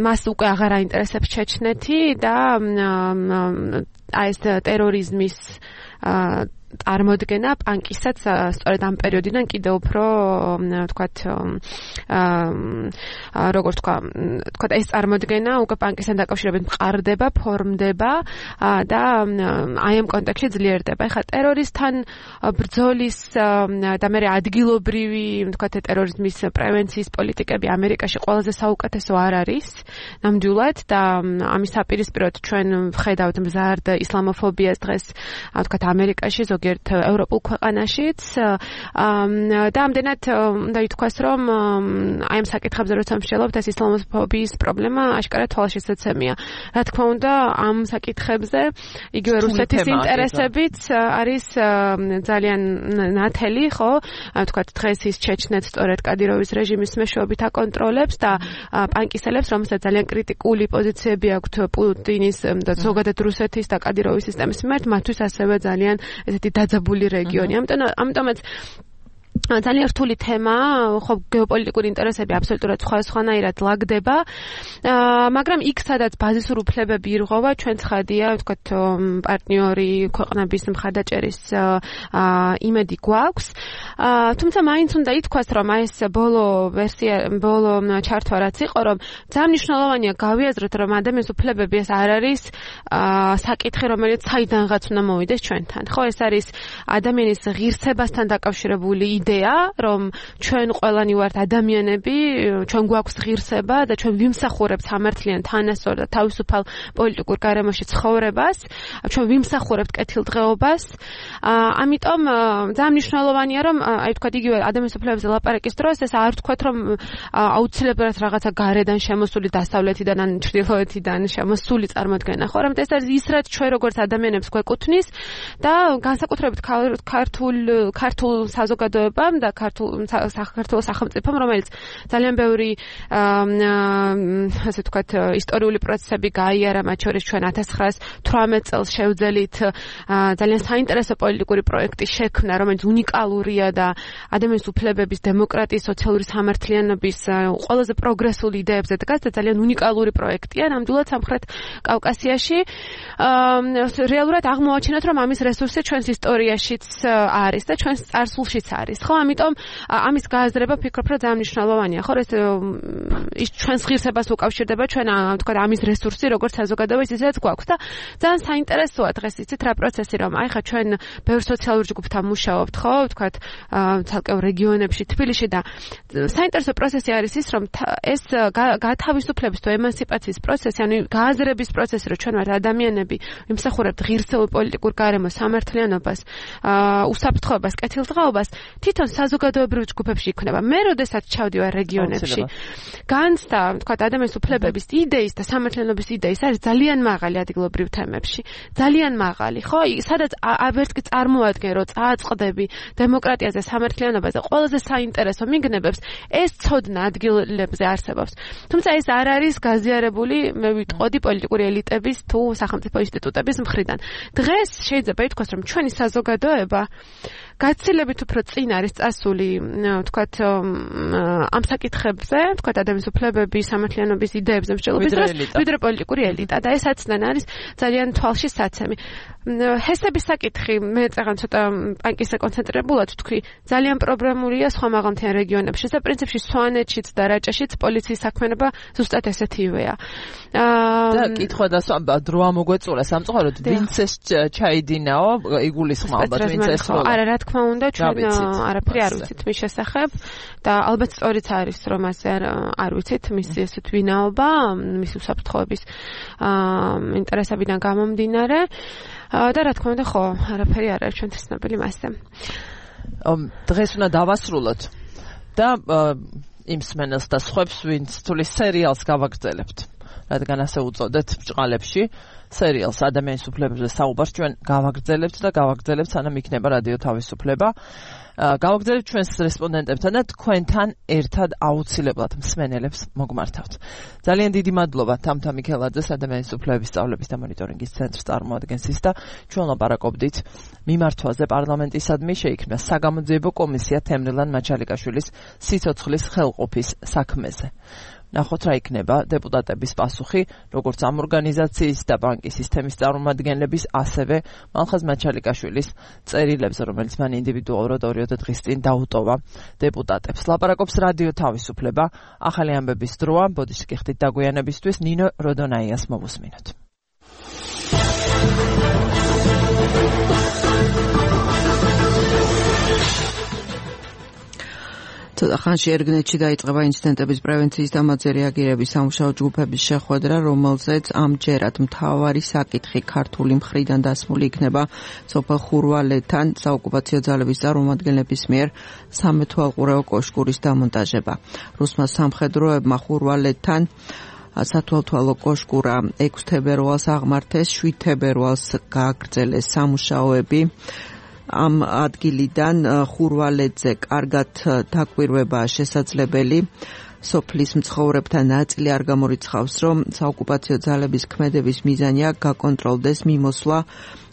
მას უკვე აღარ აინტერესებს ჩეჩნეთი და ეს ტერორიზმის წარმოდგენა პანკისაც სწორედ ამ პერიოდიდან კიდევ უფრო თქვათ როგორ თქვათ ეს წარმოდგენა უკვე პანკისთან დაკავშირებით მყარდება, ფორმდება და აი ამ კონტექსტში ძლიერდება. ეხლა ტერორისტთან ბრძოლის და მე ადგილობრივი თქვათ ტერორიზმის პრევენციის პოლიტიკები ამერიკაში ყველაზე საუკეთესო არ არის ნამდვილად და ამის საპირისპიროდ ჩვენ ვხედავთ მზარდ ისლამოფობიას დღეს თქვათ ამერიკაში ზოგიერთ ევროპულ ქვეყანაშიც და ამდენად უნდა ითქვას რომ აი ამ საკითხებზე როცა მსჯელობთ ეს ისლამოფობიის პრობლემა აშკარად თვალშისაცემია. რა თქმა უნდა ამ საკითხებზე იგივე რუსეთის ინტერესებიც არის ძალიან ნათელი, ხო? თქვათ დღეს ის ჩეჩნეთს სწორედ კადიროვის რეჟიმის მეშვეობით აკონტროლებს და პანკისელებს, რომელსაც ძალიან კრიტიკული პოზიციები აქვთ პუტინის და ზოგადად რუსეთის და კადიროვის სისტემის მიმართ, მათთვის ასევე ძალიან ესეთი დაძაბული რეგიონი. ამიტომაც ძალიან რთული თემაა, ხო გეოპოლიტიკური ინტერესები აბსოლუტურად სხვადასხვანაირად ლაგდება, მაგრამ იქ სადაც ბაზისურ უფლებები ირღვევა, ჩვენ ცხადია, ვთქვათ, პარტნიორი ქვეყნების მხარდაჭერის იმედი გვაქვს. თუმცა მაინც უნდა ითქვას, რომ ეს ბოლო ჩართვა რაც იყო, რომ ძალიან მნიშვნელოვანია გავიაზროთ, რომ ადამიანის უფლებები ეს არ არის საკითხი, რომელიც საიდანღაც უნდა მოვიდეს ჩვენთან. ხო, ეს არის ადამიანის ღირსებასთან დაკავშირებული იდეა, რომ ჩვენ ყველანი ვართ ადამიანები, ჩვენ გვაქვს ღირსება და ჩვენ ვიმსახურებთ სამართლიან თანასწორ და თავისუფალ პოლიტიკურ გარემოში ცხოვრებას, ჩვენ ვიმსახურებთ კეთილდღეობას. ამიტომ ძალიან მნიშვნელოვანია, რომ აი თქვა იგივე ადამიანის უფლებებზე ლაპარაკის დროს ეს არ თქვათ, რომ აუცილებლად რაღაცა გარედან შემოსული დასავლეთიდან ან ჩრდილოეთიდან შემოსული წარმოდგენა ხო, რომ ეს არის ის რაც ჩვენ როგორც ადამიანებს გვეკუთვნის და განსაკუთრებით ქართულ საზოგადოებამ და საქართველოს სახელმწიფომ, რომელიც ძალიან ბევრი ასე ვთქვათ ისტორიული პროცესები გაიარა, მათ შორის ჩვენ 1918 წელს შევძელით ძალიან საინტერესო პოლიტიკური პროექტის შექმნა, რომელიც უნიკალურია და ადამიანის უფლებების, დემოკრატიის, სოციალური სამართლიანობის ყველაზე პროგრესულ იდეებზე დგას და ძალიან უნიკალური პროექტია ნამდვილად სამხრეთ კავკასიაში. რეალურად აღმოაჩინოთ, რომ ამის რესურსი ჩვენს ისტორიაშიც არის და ჩვენს წარსულშიც არის. ხო, ამიტომ ამის გააზრება ფიქრობ, რომ ძალიან მნიშვნელოვანია. ხო, ის ჩვენს ღირსებას უკავშირდება, ჩვენ თქვა ამის რესურსი როგორც საზოგადოების ისეც გვაქვს და ძალიან საინტერესოა დღეს იცით რა პროცესი, რომ აი ხა ჩვენ ბევრ სოციალურ ჯგუფთან მუშაობთ, ხო, თქვა ცალკეულ რეგიონებში, თბილისში და საინტერესო პროცესი არის ის, რომ ეს გათავისუფლების თუ ემანსიპაციის პროცესი, ანუ გააზრების პროცესი, რომ ჩვენ ვართ ადამიანები, ვიმსახურებთ ღირსეულ პოლიტიკურ გარემოს, სამართლიანობას, უსაფრთხოებას, კეთილდღეობას, თვითონ საზოგადოებრივ ჯგუფებში იქნება. მე როდესაც ჩავდივარ რეგიონებში, განცდა, თქვა ადამიანის უფლებების იდეის და სამართლიანობის იდეის არის ძალიან მაღალი ადგილობრივ თემებში. ძალიან მაღალი, ხო? სადაც ვერც კი წარმოადგენ, რომ წააწყდები დემოკრატიაზე, სამართლიანობაზე, ყველაზე საინტერესო მიგნებებს ეს ცოდნა ადგილებზე არსებობს. თუმცა ეს არ არის გაზიარებული, მე ვიტყოდი პოლიტიკური ელიტების თუ სახელმწიფო ინსტიტუტების მხრიდან. დღეს შეიძლება ითქვას, რომ ჩვენი საზოგადოება გაცილებით უფრო წინ არის წასული, ვთქვათ, ამ საკითხებზე, ვთქვათ, ადამიანის უფლებების, სამართლიანობის იდეებზე მსჯელობის დროს, ვიდრე პოლიტიკური ელიტა და ეს აცნან არის ძალიან თვალში საცემი. ჰესების საკითხი, მე წაღან ცოტა პანკისზე კონცენტრირებულად ვთქვი, ძალიან პრობლემურია სხვა მაღალმთიან რეგიონებში და პრინციპში სვანეთშიც და რაჭაშიც პოლიციის საქმიანობა ზუსტად ესეთივეა. და კითხვა და დრო ამოგვეწურა სამწუხაროდ, ვინც ეს ჩაიდინაო, იგულისხმავა, ვინც ეს როლა. არა, რა თქმა უნდა, ჩვენ არაფერი არ ვიცით მის შესახებ და ალბათ სწორიც არის, რომ ასე არ ვიცით მისი ესეთ ვინაობა, მისი უსაფრთხოების ინტერესებიდან გამომდინარე. და რა თქმა უნდა, ხო, არაფერი არ არის ჩვენთვის ცნობილი მასზე. დღეს უნდა დავასრულოთ და იმ სმენელს და სხვებს, ვინც თulis სერიალს გავაგრძელებთ. რადგან ასე უწოდეთ ბჭყალებში, სერიალს ადამიანის უფლებებზე საუბარს ჩვენ გავაგრძელებთ და გავაგრძელებთ, სანამ იქნება რადიო თავისუფლება. გავაგრძელებთ ჩვენს რესპონდენტებთან და თქვენთან ერთად აუცილებლად მსმენელებს მოგმართავთ. ძალიან დიდი მადლობა თამთა მიქელაძეს, ადამიანის უფლებების სწავლების და მონიტორინგის ცენტრს წარმოადგენს ის და ჩვენ ლაპარაკობდით მიმართვაზე პარლამენტისადმი შეიქმნა საგამოძიებო კომისია თემრილან მაჩალიკაშვილის სიცოცხლის ხელყოფის საქმეზე. ნახოთ რა იქნება დეპუტატების პასუხი, როგორც ამ ორგანიზაციის და ბანკის სისტემის წარმომადგენლების, ასევე მალხაზ მაჩალიკაშვილის წერილებზე, რომელიც მან ინდივიდუალურად 2 დღის წინ დაუტოვა დეპუტატებს. ლაპარაკობს რადიო თავისუფლება, ახალი ამბების დროა, ბოდიში გიხდით დაგვიანებისთვის, ნინო როდონაიას მოვუსმინოთ. ხანში ერგნეთში დაიწყება ინციდენტების პრევენციის და მათზე რეაგირების სამუშაო ჯგუფების შეხვედრა, რომელზეც ამჯერად მთავარი საკითხი ქართული მხრიდან დასმული იქნება სოფელ ხურვალეთთან საოკუპაციო ძალების წარმომადგენლების მიერ სამეთვალყურეო კოშკურის დამონტაჟება. რუსმა სამხედროებმა ხურვალეთთან სათვალთვალო კოშკურა 6 თებერვალს აღმართეს, 7 თებერვალს გააგრძელეს სამუშაოები. ამ ადგილიდან ხურვალეთზე კარგად დაკვირვებაა შესაძლებელი. სოფლის მცხოვრებთა ნაწილი არ გამორიცხავს, რომ საოკუპაციო ძალების ქმედების მიზანია გაკონტროლდეს მიმოსვლა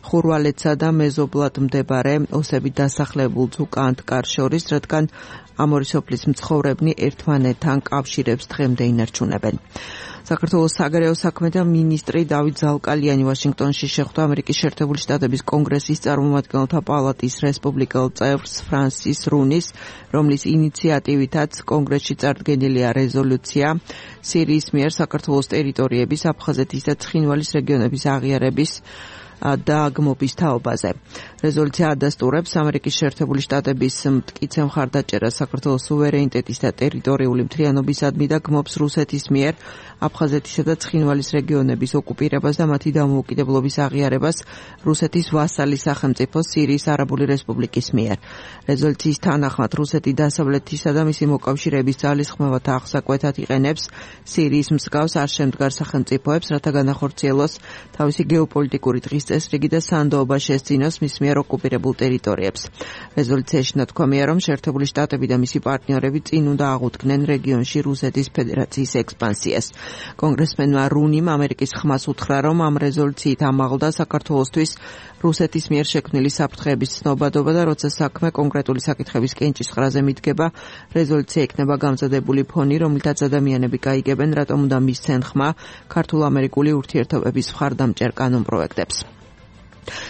ხურვალეთსა და მეზობლად მდებარე ოსებით დასახლებულ ზუკანტკარ შორის, რადგან ამ ორი სოფლის მცხოვრებნი ერთმანეთთან კავშირებს დღემდე ინარჩუნებენ. საქართველოს საგარეო საქმეთა მინისტრი დავით ზალკალიანი ვაშინგტონში შეხვდა ამერიკის შეერთებული შტატების კონგრესის წარმომადგენელთა პალატის რესპუბლიკელ წევრს ფრანსის რუნის, რომლის ინიციატივითაც კონგრესში წარდგენილია რეზოლუცია სირიის მიერ საქართველოს ტერიტორიების, აფხაზეთის და ცხინვალის რეგიონების აღიარების დაგმობის თაობაზე. რეზოლუცია ადასტურებს ამერიკის შეერთებული შტატების მტკიცე მხარდაჭერას საქართველოს სუვერენიტეტის და ტერიტორიული მთლიანობისადმი და გმობს რუსეთის მიერ აფხაზეთისა და ცხინვალის რეგიონების ოკუპირებას და მათი დამოუკიდებლობის აღიარებას რუსეთის ვასალი სახელმწიფო სირიის არაბული რესპუბლიკის მიერ. რეზოლუციის თანახმად რუსეთი დასავლეთისა და მისი მოკავშირეების ძალისხმევათა აღსაკვეთად იყენებს სირიის მსგავს არ შემდგარ სახელმწიფოებს, რათა განახორციელოს თავისი გეოპოლიტიკური დღის წესრიგი და სანდოობა შესძინოს მის მიერ ოკუპირებულ ტერიტორიებს. რეზოლუციაში ნათქვამია, რომ შეერთებული შტატები და მისი პარტნიორები წინ უნდა აღუდგნენ რეგიონში რუსეთის ფედერაციის ექსპანსიას. კონგრესმენმა რუნიმ ამერიკის ხმას უთხრა, რომ ამ რეზოლუციით ამაღლდა საქართველოსთვის რუსეთის მიერ შექმნილი საფრთხეების ცნობადობა და როცა საქმე კონკრეტული საკითხების კენჭისყრაზე მიდგება, რეზოლუცია იქნება გამზადებული ფონი, რომლითაც ადამიანები გაიგებენ, რატომ უნდა მისცენ ხმა ქართულ-ამერიკული ურთიერთობების მხარდამჭერ კანონპროექტებს.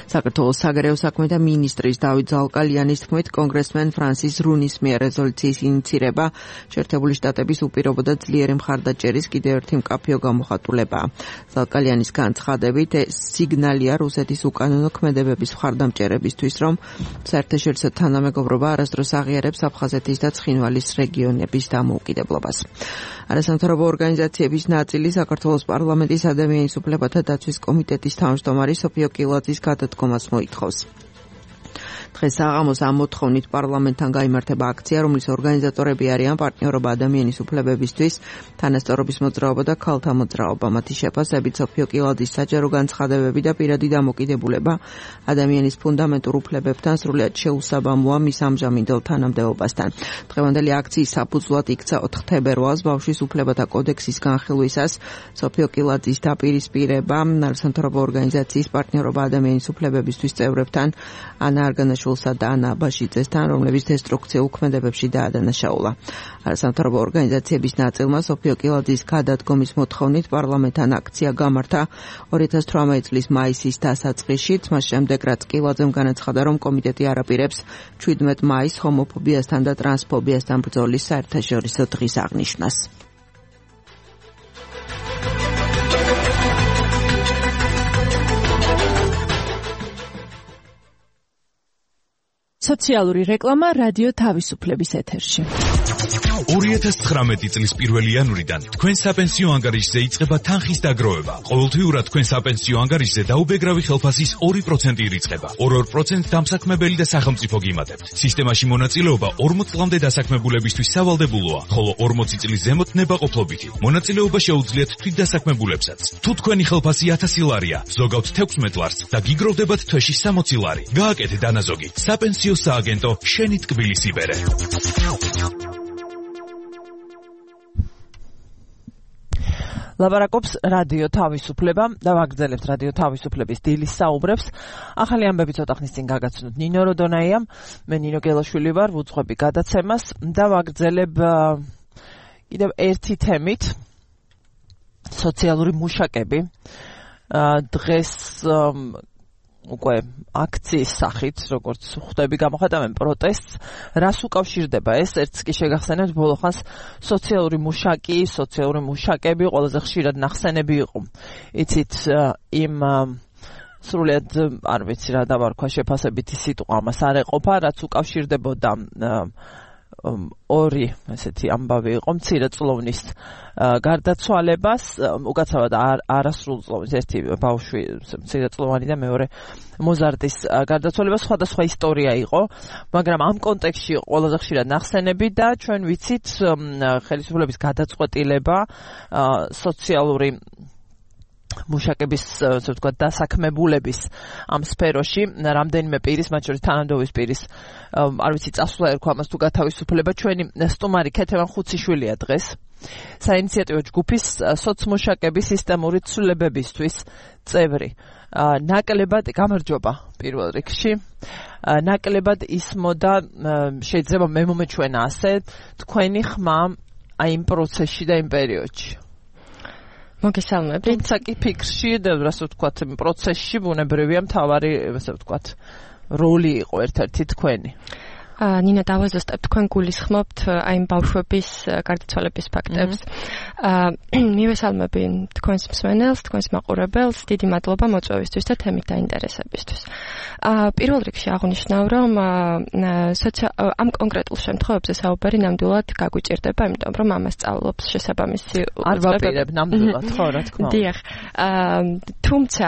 საქართველოს საგარეო საქმეთა მინისტრის დავით ზალკალიანის თქმით, კონგრესმენ ფრანსის რუნის მიერ რეზოლუციის ინიცირება შეერთებული შტატების უპირობო და ძლიერი მხარდაჭერის კიდევ ერთი მკაფიო გამოხატულებაა. ზალკალიანის განცხადებით, ეს სიგნალია რუსეთის უკანონო ქმედებების მხარდამჭერებისთვის, რომ საერთაშორისო თანამეგობრობა არასდროს აღიარებს აფხაზეთის და ცხინვალის რეგიონების დამოუკიდებლობას. არასამთავრობო ორგანიზაციების ნაწილი საქართველოს პარლამენტის ადამიანის უფლებათა დაცვის კომიტეტის თავმჯდომარი სოფიო კილაძის გადადგომას მოითხოვს. დღეს საღამოს ამ მოთხოვნით პარლამენტთან გაიმართება აქცია, რომლის ორგანიზატორები არიან პარტნიორობა ადამიანის უფლებებისთვის, თანასწორობის მოძრაობა და ქალთა მოძრაობა. მათი შეფასებით სოფიო კილაძის საჯარო განცხადებები და პირადი დამოკიდებულება ადამიანის ფუნდამენტურ უფლებებთან სრულად შეუსაბამოა მის ამჟამინდელ თანამდებობასთან. დღევანდელი აქციის საფუძვლად იქცა 4 თებერვალს ბავშვის უფლებათა კოდექსის განხილვისას სოფიო კილაძის დაპირისპირება არასამთავრობო ორგანიზაციის პარტნიორობა ადამიანის უფლებებისთვის წევრებთან ანა არგანაშვილისა და ანა აბაშიძესთან, რომლებიც დესტრუქციულ ქმედებებში დაადანაშაულა. არასამთავრობო ორგანიზაციების ნაწილმა სოფიო კილაძის გადადგომის მოთხოვნით პარლამენტთან აქცია გამართა 2018 წლის მაისის დასაწყისში. მას შემდეგ, რაც კილაძემ განაცხადა, რომ კომიტეტი არაპირებს 17 მაისს ჰომოფობიასთან და ტრანსფობიასთან ბრძოლის საერთაშორისო დღის აღნიშვნას. სოციალური რეკლამა რადიო თავისუფლების ეთერში. 2019 წლის 1 იანვრიდან თქვენ საპენსიო ანგარიშზე იწყება თანხის დაგროვება. ყოველთვიურად თქვენ საპენსიო ანგარიშზე დაუბეგრავი ხელფასის 2% ირიცხება. 2% დამსაქმებელი და სახელმწიფო გიმატებთ. სისტემაში მონაწილეობა 40 წლამდე დასაქმებულებისთვის სავალდებულოა, ხოლო 40 წლის ზემოთ ნებაყოფლობითი. მონაწილეობა შეუძლიათ თვითდასაქმებულებსაც. თუ თქვენი ხელფასი 1000 ლარია, ზოგავთ 16 ლარს და გიგროვდებათ თვეში 60 ლარი. გააკეთეთ დანაზოგი. საპენსიო სააგენტო შენი ტკბილის იბერე. ლაბარაკობს რადიო თავისუფლება და ვაგრძელებთ რადიო თავისუფლების დილის საუბრებს. ახალი ამბები ცოტა ხნის წინ გაგაცნოთ ნინო როდონაიამ, მე ნინო გელაშვილი ვარ, ვუძღვები გადაცემას და ვაგრძელებ კიდევ ერთი თემით, სოციალური მუშაკები. დღეს უკვე აქციის სახით, როგორც ხვდები, გამოხატავენ პროტესტს. რას უკავშირდება ეს? ერთს კი შეგახსენებთ, ბოლოხანს სოციალური მუშაკები ყველაზე ხშირად ნახსენები იყო. იცით, იმ სრულად არ ვიცი რა დავარქვა შეფასებითი სიტყვა ამას არ ეყოფა, რაც უკავშირდებოდა ორი ესეთი ამბავი იყო, მცირეწლოვნის გარდაცვალებას, უკაცრავად არასრულწლოვნის, ერთი ბავშვი მცირეწლოვანი და მეორე მოზარდის გარდაცვალება, სხვადასხვა ისტორია იყო, მაგრამ ამ კონტექსტში ყველაზე ხშირად ნახსენები და ჩვენ ვიცით ხელისუფლების გადაწყვეტილება სოციალური მუშაკების, ასე ვთქვათ, დასაქმებულების ამ სფეროში რამდენიმე პირის, მათ შორის თანამდებობის პირის, არ ვიცი, წასვლა ერქვა ამას თუ გათავისუფლება. ჩვენი სტუმარი ქეთევან ხუციშვილია დღეს. საინიციატივო ჯგუფის სოცმუშაკების სისტემური ცვლილებებისთვის წევრი. ნაკლებად გამარჯობა პირველ რიგში. ნაკლებად ისმოდა, შეიძლება მე მომეჩვენა ასე, თქვენი ხმა აი იმ პროცესში და იმ პერიოდში. მოგესალმებით. თუმცა კი ფიქრში და ასე ვთქვათ, პროცესში ბუნებრივია მთავარი, ასე ვთქვათ, როლი იყო ერთ-ერთი თქვენი. ნინა დავაზუსტებ, თქვენ გულისხმობთ აი ბავშვების გარდაცვალების ფაქტებს. მივესალმები თქვენს მსმენელს, თქვენს მაყურებელს, დიდი მადლობა მოწვევისთვის და თემით დაინტერესებისთვის. პირველ რიგში აღნიშნავ, რომ ამ კონკრეტულ შემთხვევებზე საუბარი ნამდვილად გაგვიჭირდება, იმიტომ რომ ამას სწავლობს შესაბამისი არ ვაპირებ ნამდვილად, ხო, რა თქმა უნდა. დიახ. თუმცა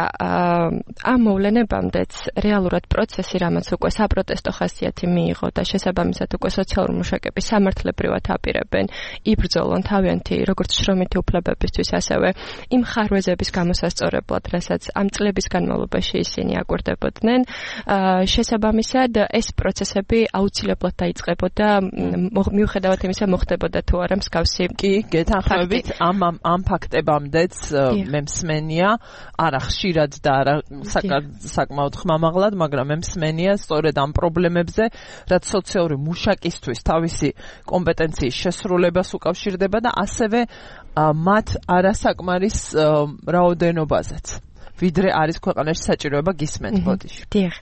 ამ მოვლენებამდეც რეალურად პროცესი, რამაც უკვე საპროტესტო ხასიათი მიიღო და შესაბამისად უკვე სოციალური მუშაკები სამართლებრივად აპირებენ, იბრძოლონ თავიანთი როგორც შრომითი უფლებებისთვის, ასევე იმ ხარვეზების გამოსასწორებლად, რასაც ამ წლების განმავლობაში ისინი აკვირდებოდნენ, შესაბამისად ეს პროცესები აუცილებლად დაიწყებოდა, მიუხედავად იმისა, მოხდებოდა თუ არა მსგავსი. კი, გეთანხმებით, ამ ფაქტებამდეც მე მსმენია, არა ხშირად და არა საკმაოდ ხმამაღლად, მაგრამ მე მსმენია სწორედ ამ პრობლემებზე, რაც სოციალური მუშაკისთვის თავისი კომპეტენციის შესრულებას უკავშირდება და ასევე მათ არასაკმარის რაოდენობაზეც. ვიდრე არის ქვეყანაში საჭიროება გისმენთ ბოდიში. დიახ.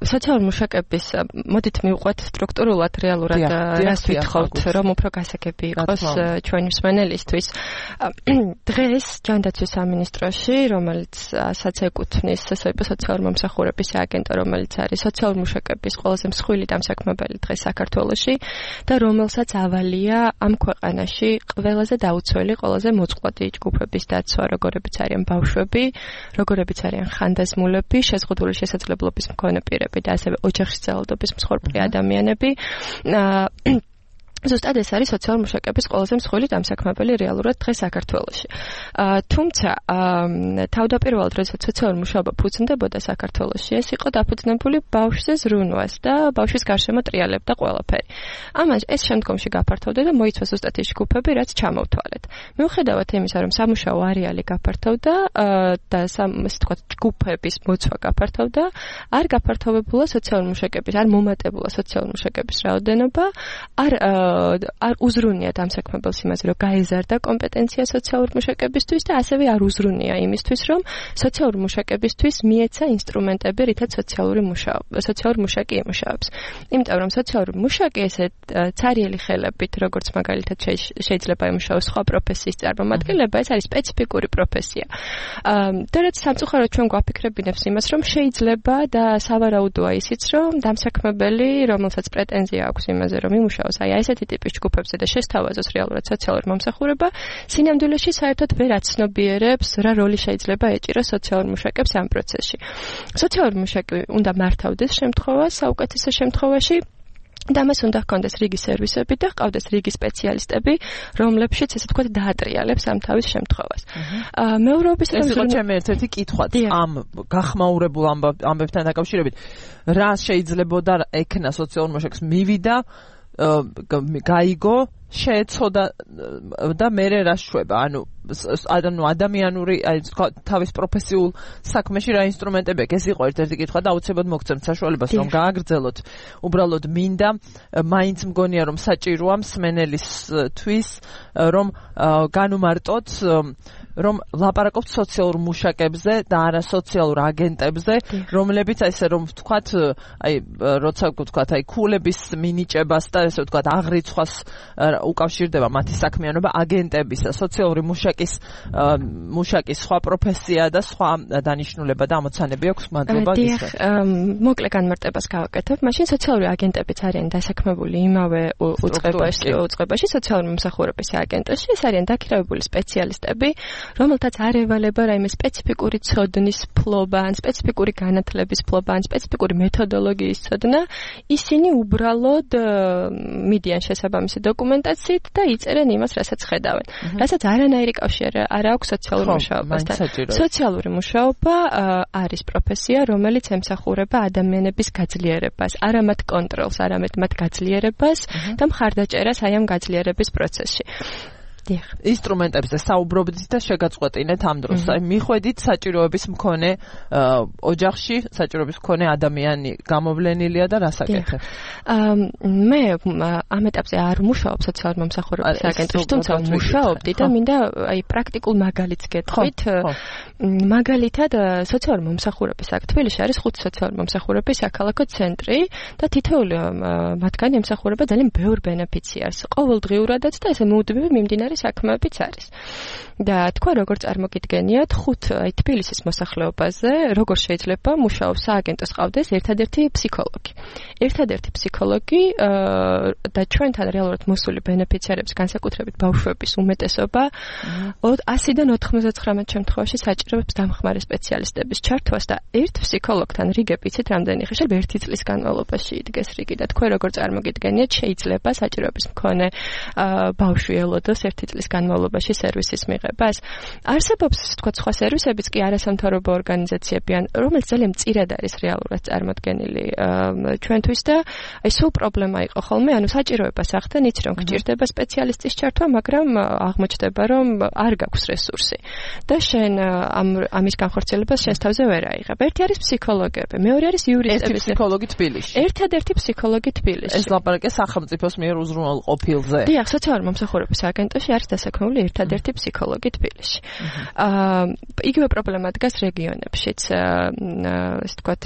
სოციალური მუშაკების მოდით მივყვეთ სტრუქტურულად რეალურად რას ვითხოვთ, რომ უფრო გასაგები იყოს ჩვენი მსმენელისთვის. დღეს ჯანდაცვის სამინისტროში, რომელიც ეკუთვნის სოციალური მომსახურების სააგენტო, რომელიც არის სოციალური მუშაკების ყველაზე მსხვილი დამსაქმებელი დღეს საქართველოში და რომელსაც ავალია ამ ქვეყანაში ყველაზე დაუცველი, ყველაზე მოწყვლადი ჯგუფების დაცვა, როგორებიც არის ბავშვები, როგორებიც არიან ხანდაზმულები, შეზღუდული შესაძლებლობის მქონე პირები და ასევე ოჯახში ძალადობის მსხვერპლი ადამიანები. ზუსტად ეს არის სოციალური მუშაკების ყველაზე მსხვილი დამსაქმებელი რეალურად დღეს საქართველოში. თუმცა თავდაპირველად როდესაც სოციალური მუშაობა ფუძნდებოდა საქართველოში, ეს იყო დაფუძნებული ბავშვზე ზრუნვას და ბავშვის გარშემო ტრიალებდა ყველაფერი. ამას ეს შემდგომში გაფართოვდა და მოიცვა ზუსტად ის ჯგუფები, რაც ჩამოვთვალეთ. მიუხედავად იმისა, რომ სამუშაო არეალი გაფართოვდა და ესე ვთქვათ ჯგუფების მოცვა გაფართოვდა, არ გაფართოვებულა სოციალური მუშაკების, არ მომატებულა სოციალური მუშაკების რაოდენობა, არ უზრუნია დამსაქმებელს იმაზე, რომ გაეზარდა კომპეტენცია სოციალური მუშაკებისთვის და ასევე არ უზრუნია იმისთვის, რომ სოციალური მუშაკებისთვის მიეცა ინსტრუმენტები, რითაც სოციალური მუშაკი იმუშავებს. იმიტომ რომ სოციალური მუშაკი ესეთ ცარიელი ხელებით, როგორც მაგალითად შეიძლება იმუშაოს სხვა პროფესიის წარმომადგენლება, ეს არის სპეციფიკური პროფესია. და რაც სამწუხაროდ ჩვენ გვაფიქრებინებს იმას, რომ შეიძლება და სავარაუდოა ისიც, რომ დამსაქმებელი, რომელსაც პრეტენზია აქვს იმაზე, რომ იმუშაოს აი ესეთი ტიპის ჯგუფებზე და შესთავაზოს რეალურად სოციალური მომსახურება, სინამდვილეში საერთოდ ვერ აცნობიერებს, რა როლი შეიძლება ეჭიროს სოციალურ მუშაკებს ამ პროცესში. სოციალური მუშაკი უნდა მართავდეს შემთხვევას, საუკეთესო შემთხვევაში, და მას უნდა ჰქონდეს რიგი სერვისები და ჰყავდეს რიგი სპეციალისტები, რომლებშიც ესე ვთქვათ დაატრიალებს ამ თავის შემთხვევას. მეურვეობის ეს იყო ჩემი ერთ-ერთი კითხვაც ამ გახმაურებულ ამბებთან დაკავშირებით, რა შეიძლებოდა ექნა სოციალურ მუშაკს მივიდა გაიგო, შეეცოდა და მერე რა შვება, ანუ ადამიანური, აი თავის პროფესიულ საქმეში რა ინსტრუმენტები აქვს, ეს იყო ერთ-ერთი კითხვა და აუცილებლად მოგცემთ საშუალებას, რომ გააგრძელოთ. უბრალოდ მინდა, მაინც მგონია, რომ საჭიროა მსმენელისთვის, რომ განუმარტოთ, რომ ლაპარაკობთ სოციალურ მუშაკებზე და არა სოციალურ აგენტებზე, რომლებიც ესე რომ ვთქვათ, აი როცა ვთქვათ, აი ქულების მინიჭებას და ესე ვთქვათ, აღრიცხვას უკავშირდება მათი საქმიანობა აგენტებისა, სოციალური მუშაკის სხვა პროფესია და სხვა დანიშნულება და ამოცანები აქვს. მადლობა გისმენთ. მოკლე განმარტებას გავაკეთებ. მაშინ სოციალური აგენტებიც არიან დასაქმებული იმავე უწყებაში, სოციალური მომსახურების აგენტოში. ეს არიან დაქირავებული სპეციალისტები, რომელთაც არ ევალება რაიმე სპეციფიკური ცოდნის ფლობა, ან სპეციფიკური განათლების ფლობა, ან სპეციფიკური მეთოდოლოგიის ცოდნა. ისინი უბრალოდ მიდიან შესაბამისი დოკუმენტაციით და იწერენ იმას, რასაც ხედავენ. რასაც არანაირი კავშირი არ აქვს სოციალურ მუშაობასთან. სოციალური მუშაობა არის პროფესია, რომელიც ემსახურება ადამიანების გაძლიერებას, არა მათ კონტროლს, არამედ მათ გაძლიერებას და მხარდაჭერას აი ამ გაძლიერების პროცესში. ინსტრუმენტებზე საუბრობდით და შეგაწყვეტინეთ ამ დროს. აი მიხვედით საჭიროების მქონე ოჯახში, საჭიროების მქონე ადამიანი გამოვლენილია და რას აკეთებ? მე ამ ეტაპზე არ მუშაობ სოციალური მომსახურების აგენტოში, თუმცა მუშაობდი და მინდა აი პრაქტიკულ მაგალითს გეტყვით. მაგალითად სოციალური მომსახურების აქ თბილისში არის 5 სოციალური მომსახურების საქალაქო ცენტრი და თითოეული მათგანი ემსახურება ძალიან ბევრ ბენეფიციარს. ყოველდღიურადაც და ესე მუდმივი მიმდინარე საქმეებიც არის. და თქვა როგორ წარმოგიდგენიათ 5 აი თბილისის მოსახლეობაზე როგორ შეიძლება მუშაობს სააგენტოს ყავდეს ერთადერთი ფსიქოლოგი. ერთადერთი ფსიქოლოგი და ჩვენთან რეალურად მოსული ბენეფიციარების განსაკუთრებით ბავშვების უმეტესობა 100-დან 99 შემთხვევაში საჭიროებს დამხმარე სპეციალისტების ჩართვას და ერთ ფსიქოლოგთან რიგები იცით რამდენი ხე შეიძლება 1 წლის განმავლობაში იდგეს რიგი და თქვენ როგორ წარმოგიდგენიათ შეიძლება საჭიროების მქონე ბავშვი ელოდოს 1 წლის განმავლობაში სერვისის მიღებას. არსებობს თქვა სხვა სერვისებიც კი არასამთავრობო ორგანიზაციები ან რომელიც ძალიან მწირად არის რეალურად წარმოდგენილი ჩვენთვის და აი სულ პრობლემა იყო ხოლმე ანუ საჭიროებას ახდენ იცი რომ გჭირდება სპეციალისტის ჩართვა მაგრამ აღმოჩნდება რომ არ გაქვს რესურსი და შენ ამის განხორციელებას შენს თავზე ვერ აიღებ. ერთი არის ფსიქოლოგები, მეორე არის იურისტები, ფსიქოლოგი თბილისში. ერთადერთი ფსიქოლოგი თბილისში. ეს ლაპარაკი სახელმწიფოს მიერ უზრუნველყოფილზე. დიახ, სოციალური მომსახურების აგენტოში არის დასაქმებული ერთადერთი ფსიქოლოგი თბილისში. იგივე პრობლემა დგას რეგიონებშიც, ესე ვთქვათ,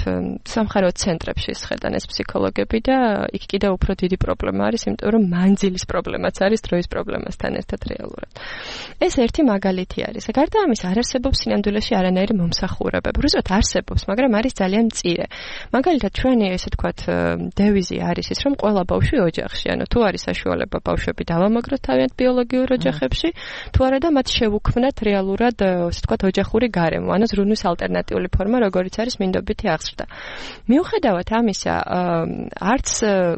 სამხარეო ცენტრებში შეხედან ეს ფსიქოლოგები და იქ კიდევ უფრო დიდი პრობლემა არის, იმიტომ რომ მანძილის პრობლემაც არის დროის პრობლემასთან ერთად რეალურად. ეს ერთი მაგალითი არის. გარდა ამის არ არსებობს სინამდვილეში არანაირი მომსახურებები. უბრალოდ არსებობს, მაგრამ არის ძალიან მწირე. მაგალითად ჩვენი ესე ვთქვათ დევიზი არის ის, რომ ყველა ბავშვი ოჯახში, ანუ თუ არის საშუალება ბავშვები დავამაგროთ თავიანთ ბიოლოგიურ ოჯახებში, თუ არა და მათ შევუქმნათ რეალურად ესე ვთქვათ ოჯახური გარემო, ანუ ზრუნვის ალტერნატიული ფორმა, როგორიც არის მინდობითი აღზრდა. მიუხედავად ამისა, არც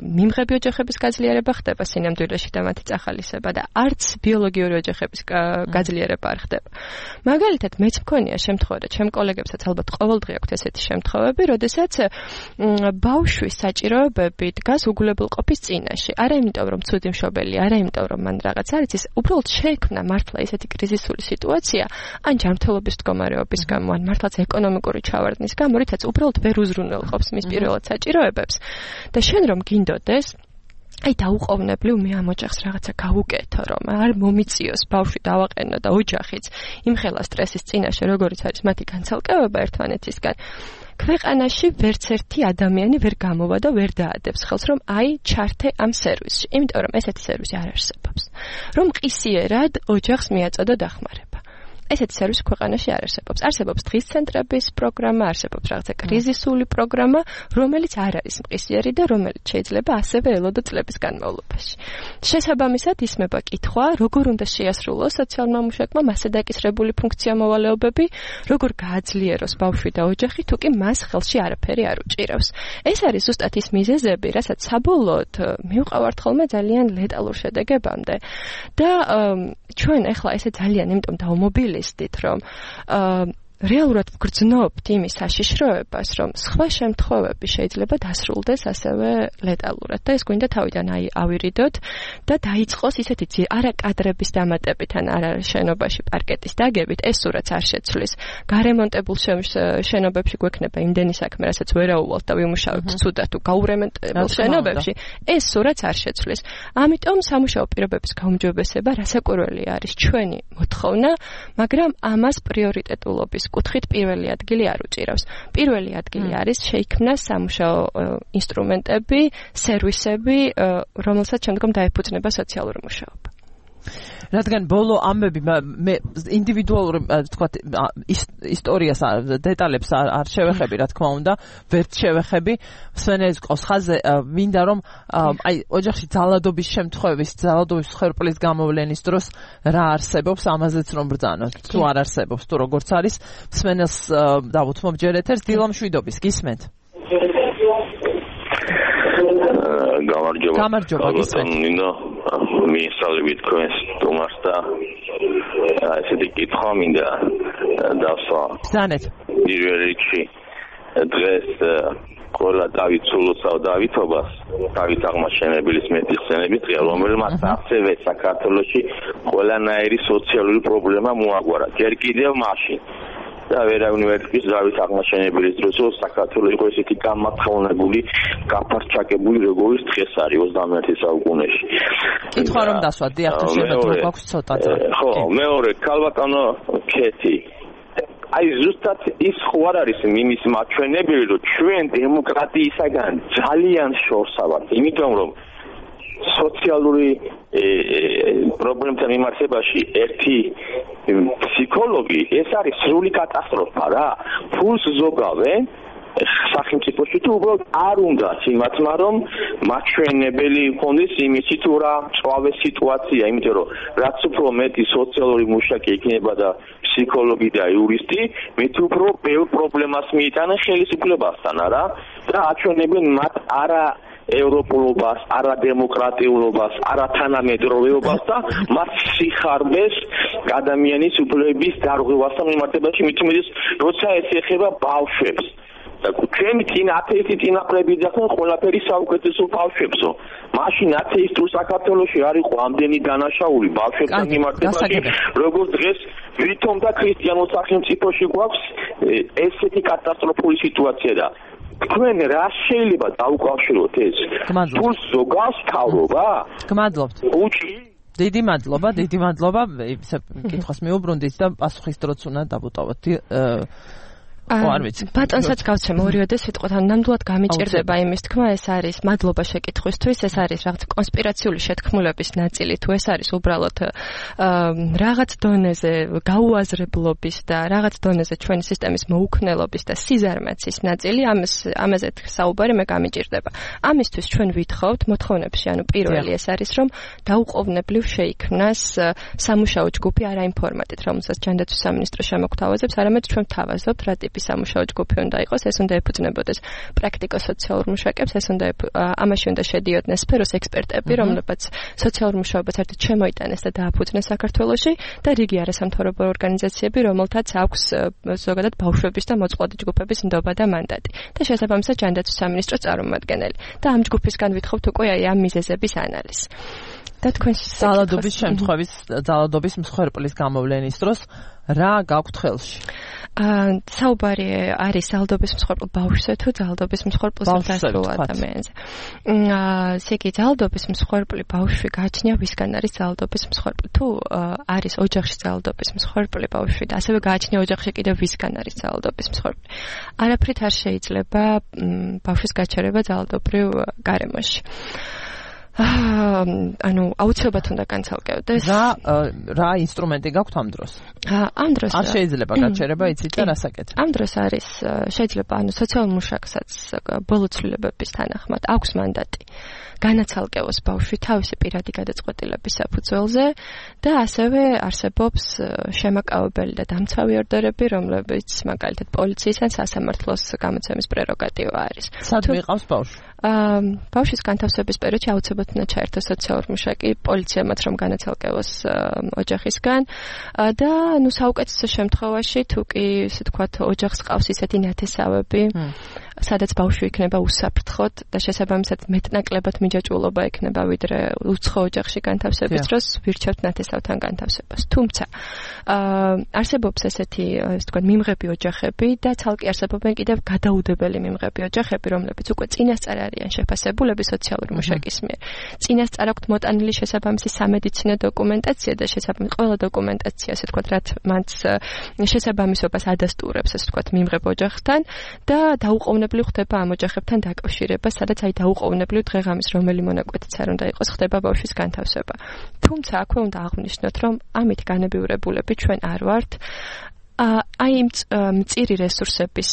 მიმღები ოჯახების გაძლიერება ხდება სინამდვილეში და მათი წახალისება და არც ბიოლოგიური ოჯახების გაძლიერება არ ხდება. მაგალითად, მეც მქონია შემთხვევა და ჩემ კოლეგებსაც ალბათ ყოველდღე აქვთ ესეთი შემთხვევები, როდესაც ბავშვის საჭიროებები დგას უგულებელყოფის წინაშე. არა იმიტომ, რომ ცუდი მშობელი, არა იმიტომ, რომ მან რაღაც არ იცის, უბრალოდ შეექმნა მართლა ესეთი კრიზისული სიტუაცია, ან ჯანმრთელობის მდგომარეობის გამო, ან მართლაც ეკონომიკური ჩავარდნის გამო, რითაც უბრალოდ ვერ უზრუნველყოფს მის პირველად საჭიროებებს. და შენ რომ გინდოდეს აი დაუყოვნებლივ მე ამ ოჯახს რაღაცა გავუკეთო, რომ არ მომიწიოს ბავშვი დავაყენო და ოჯახიც იმხელა სტრესის წინაშე, როგორიც არის მათი განცალკევება ერთმანეთისგან. ქვეყანაში ვერც ერთი ადამიანი ვერ გამოვა და ვერ დაადებს ხელს, რომ აი ჩართე ამ სერვისში, იმიტომ რომ ესეთი სერვისი არ არსებობს. რომ ყისიერად ოჯახს მიაწოდო დახმარება. ესეთი სერვისი ქვეყანაში არ არსებობს. არსებობს დღის ცენტრების პროგრამა, არსებობს რაღაცა კრიზისული პროგრამა, რომელიც არ არის მყისიერი და რომელიც შეიძლება ასევე ელოდო წლების განმავლობაში. შესაბამისად ისმება კითხვა, როგორ უნდა შეასრულოს სოციალურმა მუშაკმა მასზე დაკისრებული ფუნქციამოვალეობები, როგორ გააძლიეროს ბავშვი და ოჯახი, თუ კი მას ხელში არაფერი არ უჭირავს. ეს არის ზუსტად ის მიზეზები, რასაც საბოლოოდ მივყავართ ხოლმე ძალიან ლეტალურ შედეგებამდე. და ჩვენ ახლა ესე ძალიან იმიტომ დავმობილიზდით, რომ რეალურად ვგრძნობთ იმის საშიშროებას, რომ სხვა შემთხვევები შეიძლება დასრულდეს ასევე ლეტალურად და ეს გვინდა თავიდან ავირიდოთ და დაიწყოს ისეთი არა კადრების დამატებით ან არა შენობაში პარკეტის დაგებით, ეს სურათს არ შეცვლის. გარემონტებულ შენობებში გვექნება იმდენი საქმე, რასაც ვერაუვალთ და ვიმუშავებთ ცუდად თუ გაურემონტებულ შენობებში, ეს სურათს არ შეცვლის. ამიტომ სამუშაო პირობების გაუმჯობესება რასაკვირველი არის ჩვენი მოთხოვნა, მაგრამ ამას პრიორიტეტულობის კუთხით პირველი ადგილი არ უჭირავს. პირველი ადგილი არის შეიქმნას სამუშაო ინსტრუმენტები, სერვისები, რომელსაც შემდგომ დაეფუძნება სოციალური მუშაობა. რადგან ბოლო ამბები მე ინდივიდუალური თქვა ისტორიას დეტალებს არ შევეხები, რა თქმა უნდა, ვერც შევეხები. სვენელის ყავს ხაზზე, მინდა რომ აი ოჯახში ძალადობის შემთხვევის, ძალადობის ხერპლის გამოვლენის დროს რა არსებობს, ამაზეც რომ ბრძანოთ. თუ არ არსებობს, თუ როგორც არის, სვენელს დავუთმობ ჯერ ეთერს, დილამშვიდობის, გისმენთ? გამარჯობა, გისმენთ. მიესალმებით თქვენს სტუმარს და ესეთი კითხვა მინდა დავსვა. ბრძანეთ. პირველ რიგში დღეს ყველა დავით სულოცავ დავითობას, დავით აღმაშენებლის მეტიხსენებით ღია, რომელმაც ასევე საქართველოში ყველანაირი სოციალური პრობლემა მოაგვარა. ჯერ კიდევ მაშინ და ვერავინ ვერ თქვის დავით აღმაშენებლის დროს საქართველოს იყო ესეთი გამათხოვნებული, გაფართჩაკებული როგორც დღეს არის 21 საუკუნეში. კითხვა რომ დასვათ, დიახ, შეიძლება გვაქვს ცოტა. ხო, მეორე ქალბატონო ქეთი აი ზუსტად ის ხო არ არის იმის მაჩვენებელი, რომ ჩვენ დემოკრატიისაგან ძალიან შორსა ვართ, იმიტომ რომ სოციალური პრობლემთან მიმართებაში ერთი ფსიქოლოგი ეს არის სრული კატასტროფა რა. ფულს ზოგავენ სახელმწიფოში თუ უბრალოდ არ უნდათ იმათმა რომ მაჩვენებელი ჰქონდეს იმისი თუ რა წვავე სიტუაცია, იმიტომ რომ რაც უფრო მეტი სოციალური მუშაკი იქნება და ფსიქოლოგი და იურისტი, მით უფრო ბევრ პრობლემას მიიტანენ ხელისუფლებასთან არა და აჩვენებენ მათ არა ევროპულობას, არა დემოკრატიულობას, არა თანამედროვეობას და მას სიხარბეს ადამიანის უფლებების დარღვევასთან მიმართებაში, მით უმეტეს როცა ეს ეხება ბავშვებს. ჩვენი ათეისტი წინაპრები ძახენ ყველაფერი საუკეთესო ბავშვებსო. მაშინ ათეისტურ საქართველოში არ იყო ამდენი დანაშაული ბავშვებთან მიმართებაში, როგორც დღეს ვითომ და ქრისტიანულ სახელმწიფოში გვაქვს ესეთი კატასტროფული სიტუაცია და თქვენ რა შეიძლება დაუკავშიროთ ეს? თულს ზოგავს თავრობა? გმადლობთ. დიდი მადლობა. ისე კითხვას მიუბრუნდით და პასუხის დროც უნდა დავუტოვოთ. ბატონსაც გავცემ ორივე სიტყვათან ნამდვილად გამიჭირდება იმის თქმა, ეს არის მადლობა შეკითხვისთვის, ეს არის რაღაც კონსპირაციული შეთქმულების ნაწილი, თუ ეს არის უბრალოდ რაღაც დონეზე გაუაზრებლობის და რაღაც დონეზე ჩვენი სისტემის მოუქნელობის და სიზარმაცის ნაწილი, ამაზე საუბარი მე გამიჭირდება. ამისთვის ჩვენ ვითხოვთ მოთხოვნებში, ანუ პირველი ეს არის, რომ დაუყოვნებლივ შეიქმნას სამუშაო ჯგუფი არა იმ ფორმატით, რომელსაც ჯანდაცვის სამინისტრო შემოგთავაზებს, არამედ ჩვენ ვთავაზობთ რა სამუშაო ჯგუფი უნდა იყოს, ეს უნდა ეფუძნებოდეს პრაქტიკო-სოციალურ მუშაკებს, ეს უნდა ამაში უნდა შედიოდნენ სფეროს ექსპერტები, რომლებიც სოციალურ მუშაობას ერთად შემოიტანეს და დააფუძნეს საქართველოში და რიგი არასამთავრობო ორგანიზაციები, რომელთაც აქვს ზოგადად ბავშვების და მოწყვლადი ჯგუფების ნდობა და მანდატი და შესაბამისად ჯანდაცვის სამინისტროს წარმომადგენელი. და ამ ჯგუფისგან ვითხოვთ უკვე ამ მიზეზების ანალიზს. და თქვენ ძალადობის მსხვერპლის გამოვლენის დროს რა გაქვთ ხელში? საუბარი არის ძალადობის მსხვერპლ ბავშვზე თუ ძალადობის მსხვერპლ ზრდასრულ ადამიანზე. ისეთი ძალადობის მსხვერპლი ბავშვი გააჩნია ვისგან არის ძალადობის მსხვერპლი. თუ არის ოჯახში ძალადობის მსხვერპლი ბავშვი და ასევე გააჩნია ოჯახში კიდევ ვისგან არის ძალადობის მსხვერპლი. არაფრით არ შეიძლება ბავშვის გაჩერება ძალადობრივ გარემოში. ანუ აუცილებლად უნდა განცალკევდეს. რა ინსტრუმენტი გაქვთ ამ დროს? ამ დროს არ შეიძლება გაჩერება, იცით და რასაკეთებ? ამ დროს არის შეიძლება სოციალურ მუშაკსაც ბოლო ცვლილებების თანახმად აქვს მანდატი. განაცალკევოს ბავშვი თავისი პირადი გადაწყვეტილების საფუძველზე და ასევე არსებობს შემაკავებელი და დამცავი ორდერები, რომლებიც მაგალითად პოლიციის ან სასამართლოს გამოცემის პრეროგატივა არის. სად მიყავს ბავშვი? ბავშვის განთავსების პერიოდში აუცილებლად უნდა ჩაერთოს სოციალურ მუშაკი პოლიციამაც, რომ განაცალკევოს ოჯახისგან და საუკეთესო შემთხვევაში თუ კი ისე თქვათ ოჯახს ყავს ისეთი ნათესავები, სადაც ბავშვი იქნება უსაფრთხოდ და შესაბამისად მეტნაკლებად მიჯაჭვულობა ექნება ვიდრე უცხო ოჯახში განთავსების დროს ვირჩევთ ნათესავთან განთავსებას. თუმცა არსებობს ესეთი ესე თქვათ მიმღები ოჯახები და ცალკე არსებობენ კიდევ გადაუდებელი მიმღები ოჯახები, რომლებიც უკვე წინასწარ არიან შეფასებულები სოციალური მუშაკის მიერ. წინასწარ აქვთ მოტანილი შესაბამისი სამედიცინო დოკუმენტაცია და შესაბამისი ყველა დოკუმენტაცია, ასე თქვათ, რაც მათ შესაბამისობას ადასტურებს, ასე თქვათ, მიმღებ ოჯახთან და დაუყოვნებლივ ხდება ამ ოჯახებთან დაკავშირება, სადაც აი დაუყოვნებლივ დღეღამის რომელი მონაკვეთიც არ უნდა იყოს, ხდება ბავშვის განთავსება. თუმცა აქვე უნდა აღვნიშნოთ, რომ ამით განებივრებულები ჩვენ არ ვართ. აი იმ მწირი რესურსების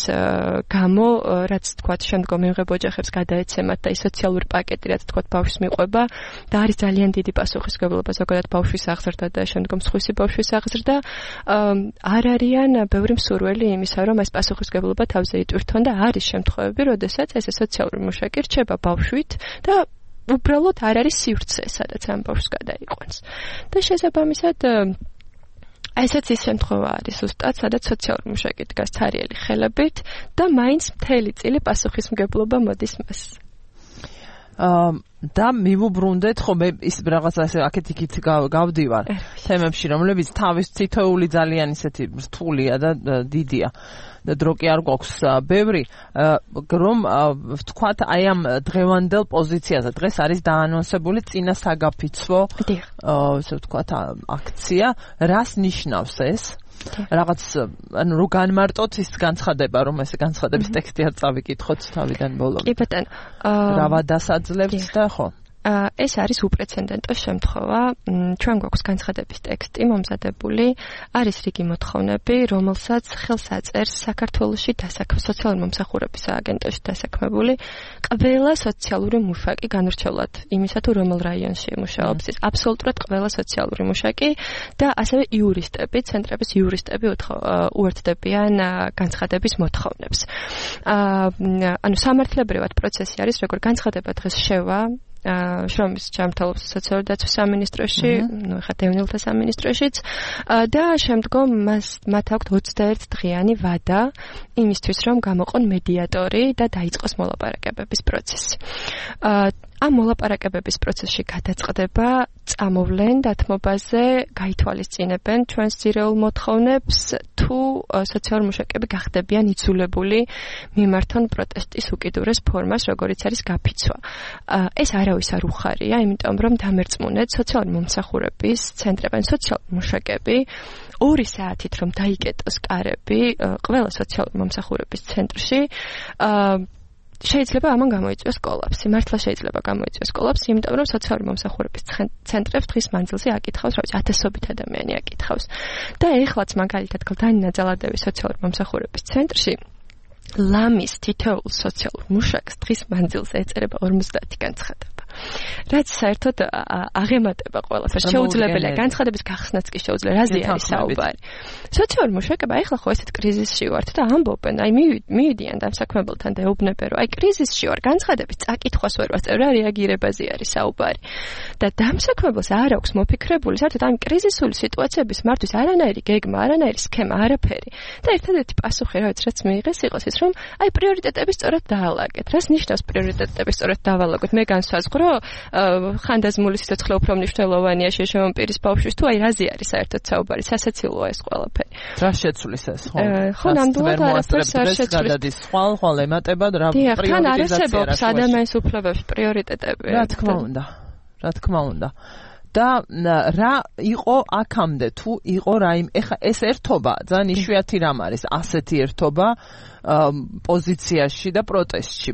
გამო, რაც თქვათ შემდგომ მიმღებ ოჯახებს გადაეცემათ და ის სოციალური პაკეტი, რაც თქვათ ბავშვს მიყვება და არის ძალიან დიდი პასუხისმგებლობა ზოგადად ბავშვის აღზრდა და შემდგომ სხვისი ბავშვის აღზრდა, არ არიან ბევრი მსურველი იმისა, რომ ეს პასუხისმგებლობა თავზე იტვირთონ და არის შემთხვევები, როდესაც ესე სოციალური მუშაკი რჩება ბავშვით და უბრალოდ არ არის სივრცე, სადაც ამ ბავშვს გადაიყვანს. და შესაბამისად ესეც ის შემთხვევა არის ზუსტად, სადაც სოციალური მუშაკი დგას ცარიელი ხელებით და მაინც მთელი წილი პასუხისმგებლობა მოდის მას. და მივუბრუნდეთ ხო მე ის რაღაცა ესე აქეთ-იქით გავდივარ თემებში რომლებიც თავის თითოეული ძალიან ისეთი რთულია და დიდია და დრო კი არ გვაქვს ბევრი რომ ვთქვათ აი ამ დღევანდელ პოზიციაზე დღეს არის დაანონსებული წინა საგაფიცვო ესე ვთქვათ აქცია რას ნიშნავს ეს რაღაც ანუ რო განმარტოთ ის განცხადება რომ ეს განცხადების ტექსტი არ წავიკითხოთ თავიდან ბოლომდე. კი ბატონო. რა ვადასაძლევს და ხო? ეს არის უპრეცედენტო შემთხვევა. ჩვენ გვაქვს განცხადების ტექსტი მომზადებული, არის რიგი მოთხოვნები, რომელსაც ხელს აწერს საქართველოში სოციალური მომსახურების სააგენტოში დასაქმებული ყველა სოციალური მუშაკი განრჩევლად იმისა თუ რომელ რაიონში მუშაობს, ის აბსოლუტურად ყველა სოციალური მუშაკი და ასევე იურისტები, ცენტრების იურისტები უერთდებიან განცხადების მოთხოვნებს. ანუ სამართლებრივად პროცესი არის, როგორ განცხადება დღეს შევა შრომის ჯანმრთელობის სოციალური დაცვის სამინისტროში, ნუ ხა დევნილთა სამინისტროშიც და შემდგომ მათ აქვთ 21 დღიანი ვადა იმისთვის, რომ გამოყონ მედიატორი და დაიწყოს მოლაპარაკებების პროცესი. ამ მოლაპარაკებების პროცესში გადაწყდება, წამოვლენ დათმობაზე, გაითვალისწინებენ ჩვენს ძირეულ მოთხოვნებს, თუ სოციალური მუშაკები გახდებიან იძულებული მიმართონ პროტესტის უკიდურეს ფორმას, როგორიც არის გაფიცვა. ეს არავის არ უხარია, იმიტომ რომ დამერწმუნეთ სოციალური მომსახურების ცენტრებიდან სოციალური მუშაკები 2 საათით რომ დაიკეტოს კარები ყველა სოციალური მომსახურების ცენტრში შეიძლება ამან გამოიწვიოს კოლაფსი. მართლა შეიძლება გამოიწვიოს კოლაფსი, იმიტომ რომ სოციალური მომსახურების ცენტრებს დღის მანძილზე აკითხავს, რა ვიცი, ათასობით ადამიანი აკითხავს. და ეხლაც მაგალითად გლდანი ნაძალადევის სოციალური მომსახურების ცენტრში ლამის თითოეულ სოციალურ მუშაკს დღის მანძილზე ეწერება 50 განცხადება. რაც საერთოდ აღემატება ყველაფერს. შეუძლებელია განცხადების გახსნაც კი შეუძლია. რაზე არის საუბარი? სოციალური მუშაკება ეხლა ხო ესეთ კრიზისში ვართ და ამბობენ, აი მივიდიან დამსაქმებელთან და ეუბნებიან, რომ აი კრიზისში ვარ, განცხადების წაკითხვას ვერ ვასწრებ, რა რეაგირებაზე არის საუბარი. და დამსაქმებელს არ აქვს მოფიქრებული, საერთოდ ამ კრიზისული სიტუაციების მართვის არანაირი გეგმა, არანაირი სქემა, არაფერი. და ერთადერთი პასუხი, რაც მიიღეს, იყოს ის, რომ აი პრიორიტეტები სწორად დაალაგეთ. რას ნიშნავს პრიორიტეტები სწორად დავალაგოთ? მე განსაზღვრო ხანდაზმული სიცოცხლე უფრო მნიშვნელოვანია შევშევან პირის ბავშვის თუ აი რაზე არის საერთოდ საუბარი სასაცილოა ეს ყველაფერი. რა შეცვლის ეს ხო? ხო, ნამდვილად არაფერს არ შეცვლის. გადადის ხვალ ემატება რა პრიორიტეტები. თან არ არსებობს ადამიანის უფლებების პრიორიტეტები. რა თქმა უნდა. და რა იყო აქამდე თუ იყო რაიმე ეხა ეს ერთობა ძალიან იშვიათი რამ არის ასეთი ერთობა პოზიციაში და პროტესტში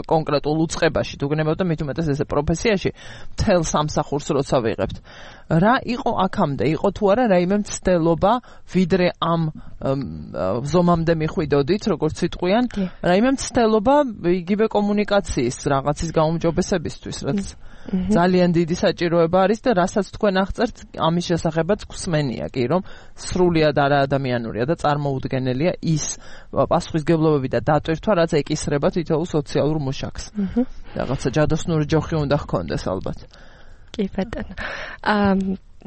კონკრეტულ უწყებაში თუ გნებავთ და მით უმეტეს ესე პროფესიაში მთელ სამსახურს როცა ვიღებთ რა იყო აქამდე იყო თუ არა რაიმე მცდელობა ვიდრე ამ ზომამდე მიხვიდოდით როგორც იტყვიან რაიმე მცდელობა იგივე კომუნიკაციის რაღაცის გაუმჯობესებისთვის რაც ძალიან დიდი საჭიროება არის და რასაც თქვენ აღწერთ ამის შესახებაც გვსმენია კი რომ სრულიად არაადამიანურია და წარმოუდგენელია ის პასუხისმგებლობები და დატვირთვა რაც ეკისრება თითოეულ სოციალურ მუშაკს რაღაცა ჯადოსნური ჯოხი უნდა ჰქონდეს ალბათ კი ბატონო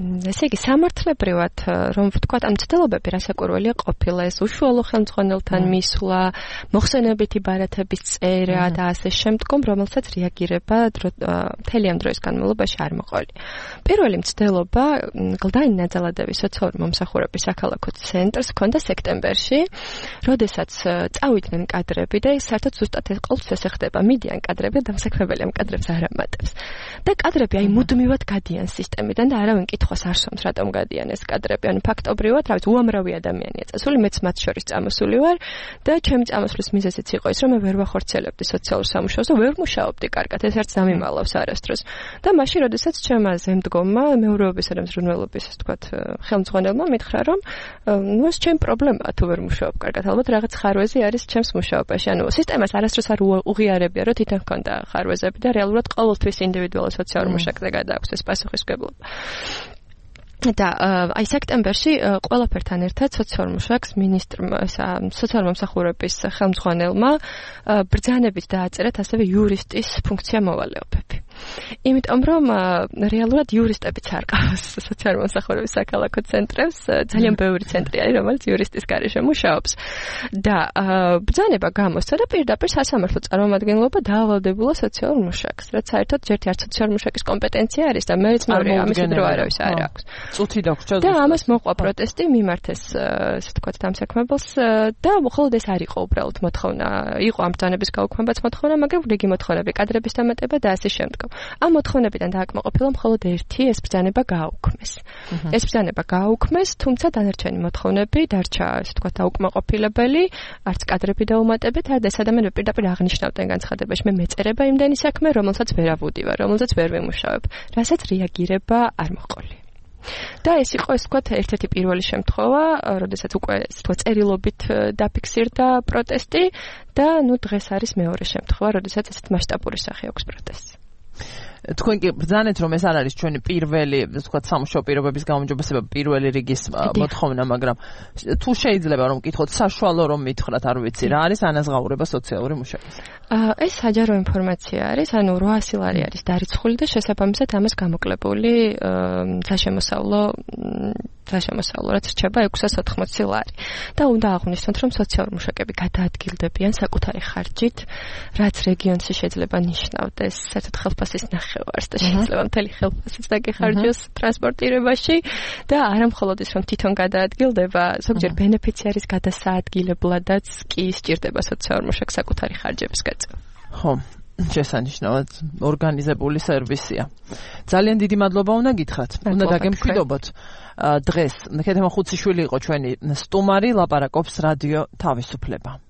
ესე იგი სამართლებრივად რომ ვთქვათ ამ ცდილობები რასაკვირველია ყოფილა ეს უშუალო ხელმძღვანელთან მისვლა მოხსენებითი ბარათების წერა და ასე შემდგომ რომელსაც რეაგირება მთელი ამ დროის განმავლობაში არ მოყოლია პირველი მცდელობა გლდანი ნაძალადევის სოციალური მომსახურების საქალაქო ცენტრს ჰქონდა სექტემბერში როდესაც წავიდნენ კადრები და საერთოდ ზუსტად ყოველთვის ეს ხდება მიდიან კადრები და დამსაქმებელი ამ კადრებს არ ამატებს და კადრები აი მუდმივად გადიან სისტემიდან და არავინ კითხავს არ სვამს რატომ გადიან ეს კადრები ანუ ფაქტობრივად რა ვიცი უამრავი ადამიანია წასული მეც მათ შორის წამოსული ვარ და ჩემი წამოსვლის მიზეზიც იყო ის რომ მე ვერ ვახორციელებდი სოციალურ სამუშაოს და ვერ მუშაობდი კარგად ეს არც დამიმალავს არასდროს და მაშინ როდესაც ჩემმა ზემდგომმა მეურვეობისა და მზრუნველობის ასე ვთქვათ ხელმძღვანელმა მითხრა რომ ნუ ეს ჩემი პრობლემაა თუ ვერ მუშაობ კარგად ალბათ რაღაც ხარვეზი არის ჩემს მუშაობაში ანუ სისტემას არასდროს არ უღიარებია რომ თვითონ ჰქონდა ხარვეზები და რეალურად ყოველთვის ინდივიდუალურ სოციალურ მუშაკზე გადააქვს ეს პასუხისმგებლობა და აი სექტემბერში ყველაფერთან ერთად სოციალურ მუშაკს მინისტრმა სოციალურ მომსახურების ხელმძღვანელმა ბრძანებით დააწერათ ასევე იურისტის ფუნქცია მოვალეობები. იმიტომ რომ რეალურად იურისტებიც არ ყავს სოციალური მომსახურების საქალაქო ცენტრებს, ძალიან ბევრი ცენტრი არის, რომელიც იურისტის გარეშე მუშაობს. და ბრძანება გამოსცა და პირდაპირ სასამართლო წარმომადგენლობა დაავალდებულა სოციალურ მუშაკს, რაც საერთოდ ერთი არც სოციალური მუშაკის კომპეტენცია არის და მეც მეორე ამის დრო არავის არ აქვს. წუთი დაგვრჩა და ამას მოყვა პროტესტი, მიმართეს ესე თქვა დამსაქმებელს და მხოლოდ ეს არ იყო უბრალოდ მოთხოვნა, იყო ამ ბრძანების გაუქმებაც მოთხოვნა, მაგრამ რიგი მოთხოვნები, კადრების დამატება და ასე შემდგომ. ამ მოთხოვნებიდან დააკმაყოფილა მხოლოდ ერთი, ეს ბრძანება გააუქმეს. ეს ბრძანება გააუქმეს, თუმცა დანარჩენი მოთხოვნები დარჩა, ესე თქვა დაუკმაყოფილებელი, არც კადრები დაუმატებით, არც ეს ადამიანები პირდაპირ აღნიშნავდნენ განცხადებაში, მე მეწერება იმდენი საქმე, რომელსაც ვერ ავუდივარ, რომელსაც ვერ ვიმუშავებ, რასაც რეაგირება არ მოყოლი. და ეს იყო ეს თქვა ერთ-ერთი პირველი შემთხვევა, როდესაც უკვე თქვა წერილობით დაფიქსირდა პროტესტი და ნუ დღეს არის მეორე შემთხვევა, როდესაც ესეთ მასშტაბური სახე აქვს პროტესტს. თქვენ კი ბრძანეთ რომ ეს არ არის ჩვენი პირველი, ვთქვათ, სამუშაო პირობების გაუმჯობესება პირველი რიგის მოთხოვნა, მაგრამ თუ შეიძლება რომ ვკითხოთ საშუალო რომ მითხრათ, არ ვიცი, რა არის ანაზღაურება სოციალური მუშაკის? ეს საჯარო ინფორმაცია არის, ანუ 800 ლარი არის დარიცხული და შესაბამისად ამას გამოკლებული საშემოსავლო რაც რჩება 680 ლარი. და უნდა აღვნიშნოთ, რომ სოციალური მუშაკები გადაადგილდებიან საკუთარი ხარჯით, რაც რეგიონში შეიძლება ნიშნავდეს საერთოდ ხელფასის ნახევარს და შეიძლება მთელი ხელფასიც დაგეხარჯოს ტრანსპორტირებაში და არა მხოლოდ ის, რომ თვითონ გადაადგილდება, ზოგჯერ ბენეფიციარის გადასაადგილებლადაც კი სჭირდება სოციალურ მუშაკს საკუთარი ხარჯების გაწევა. ხო, შესანიშნავად ორგანიზებული სერვისია. ძალიან დიდი მადლობა უნდა გითხრათ. უნდა დაგემშვიდობოთ. დღეს ქეთემ ხუციშვილი იყო ჩვენი სტუმარი, ლაპარაკობს რადიო თავისუფლება.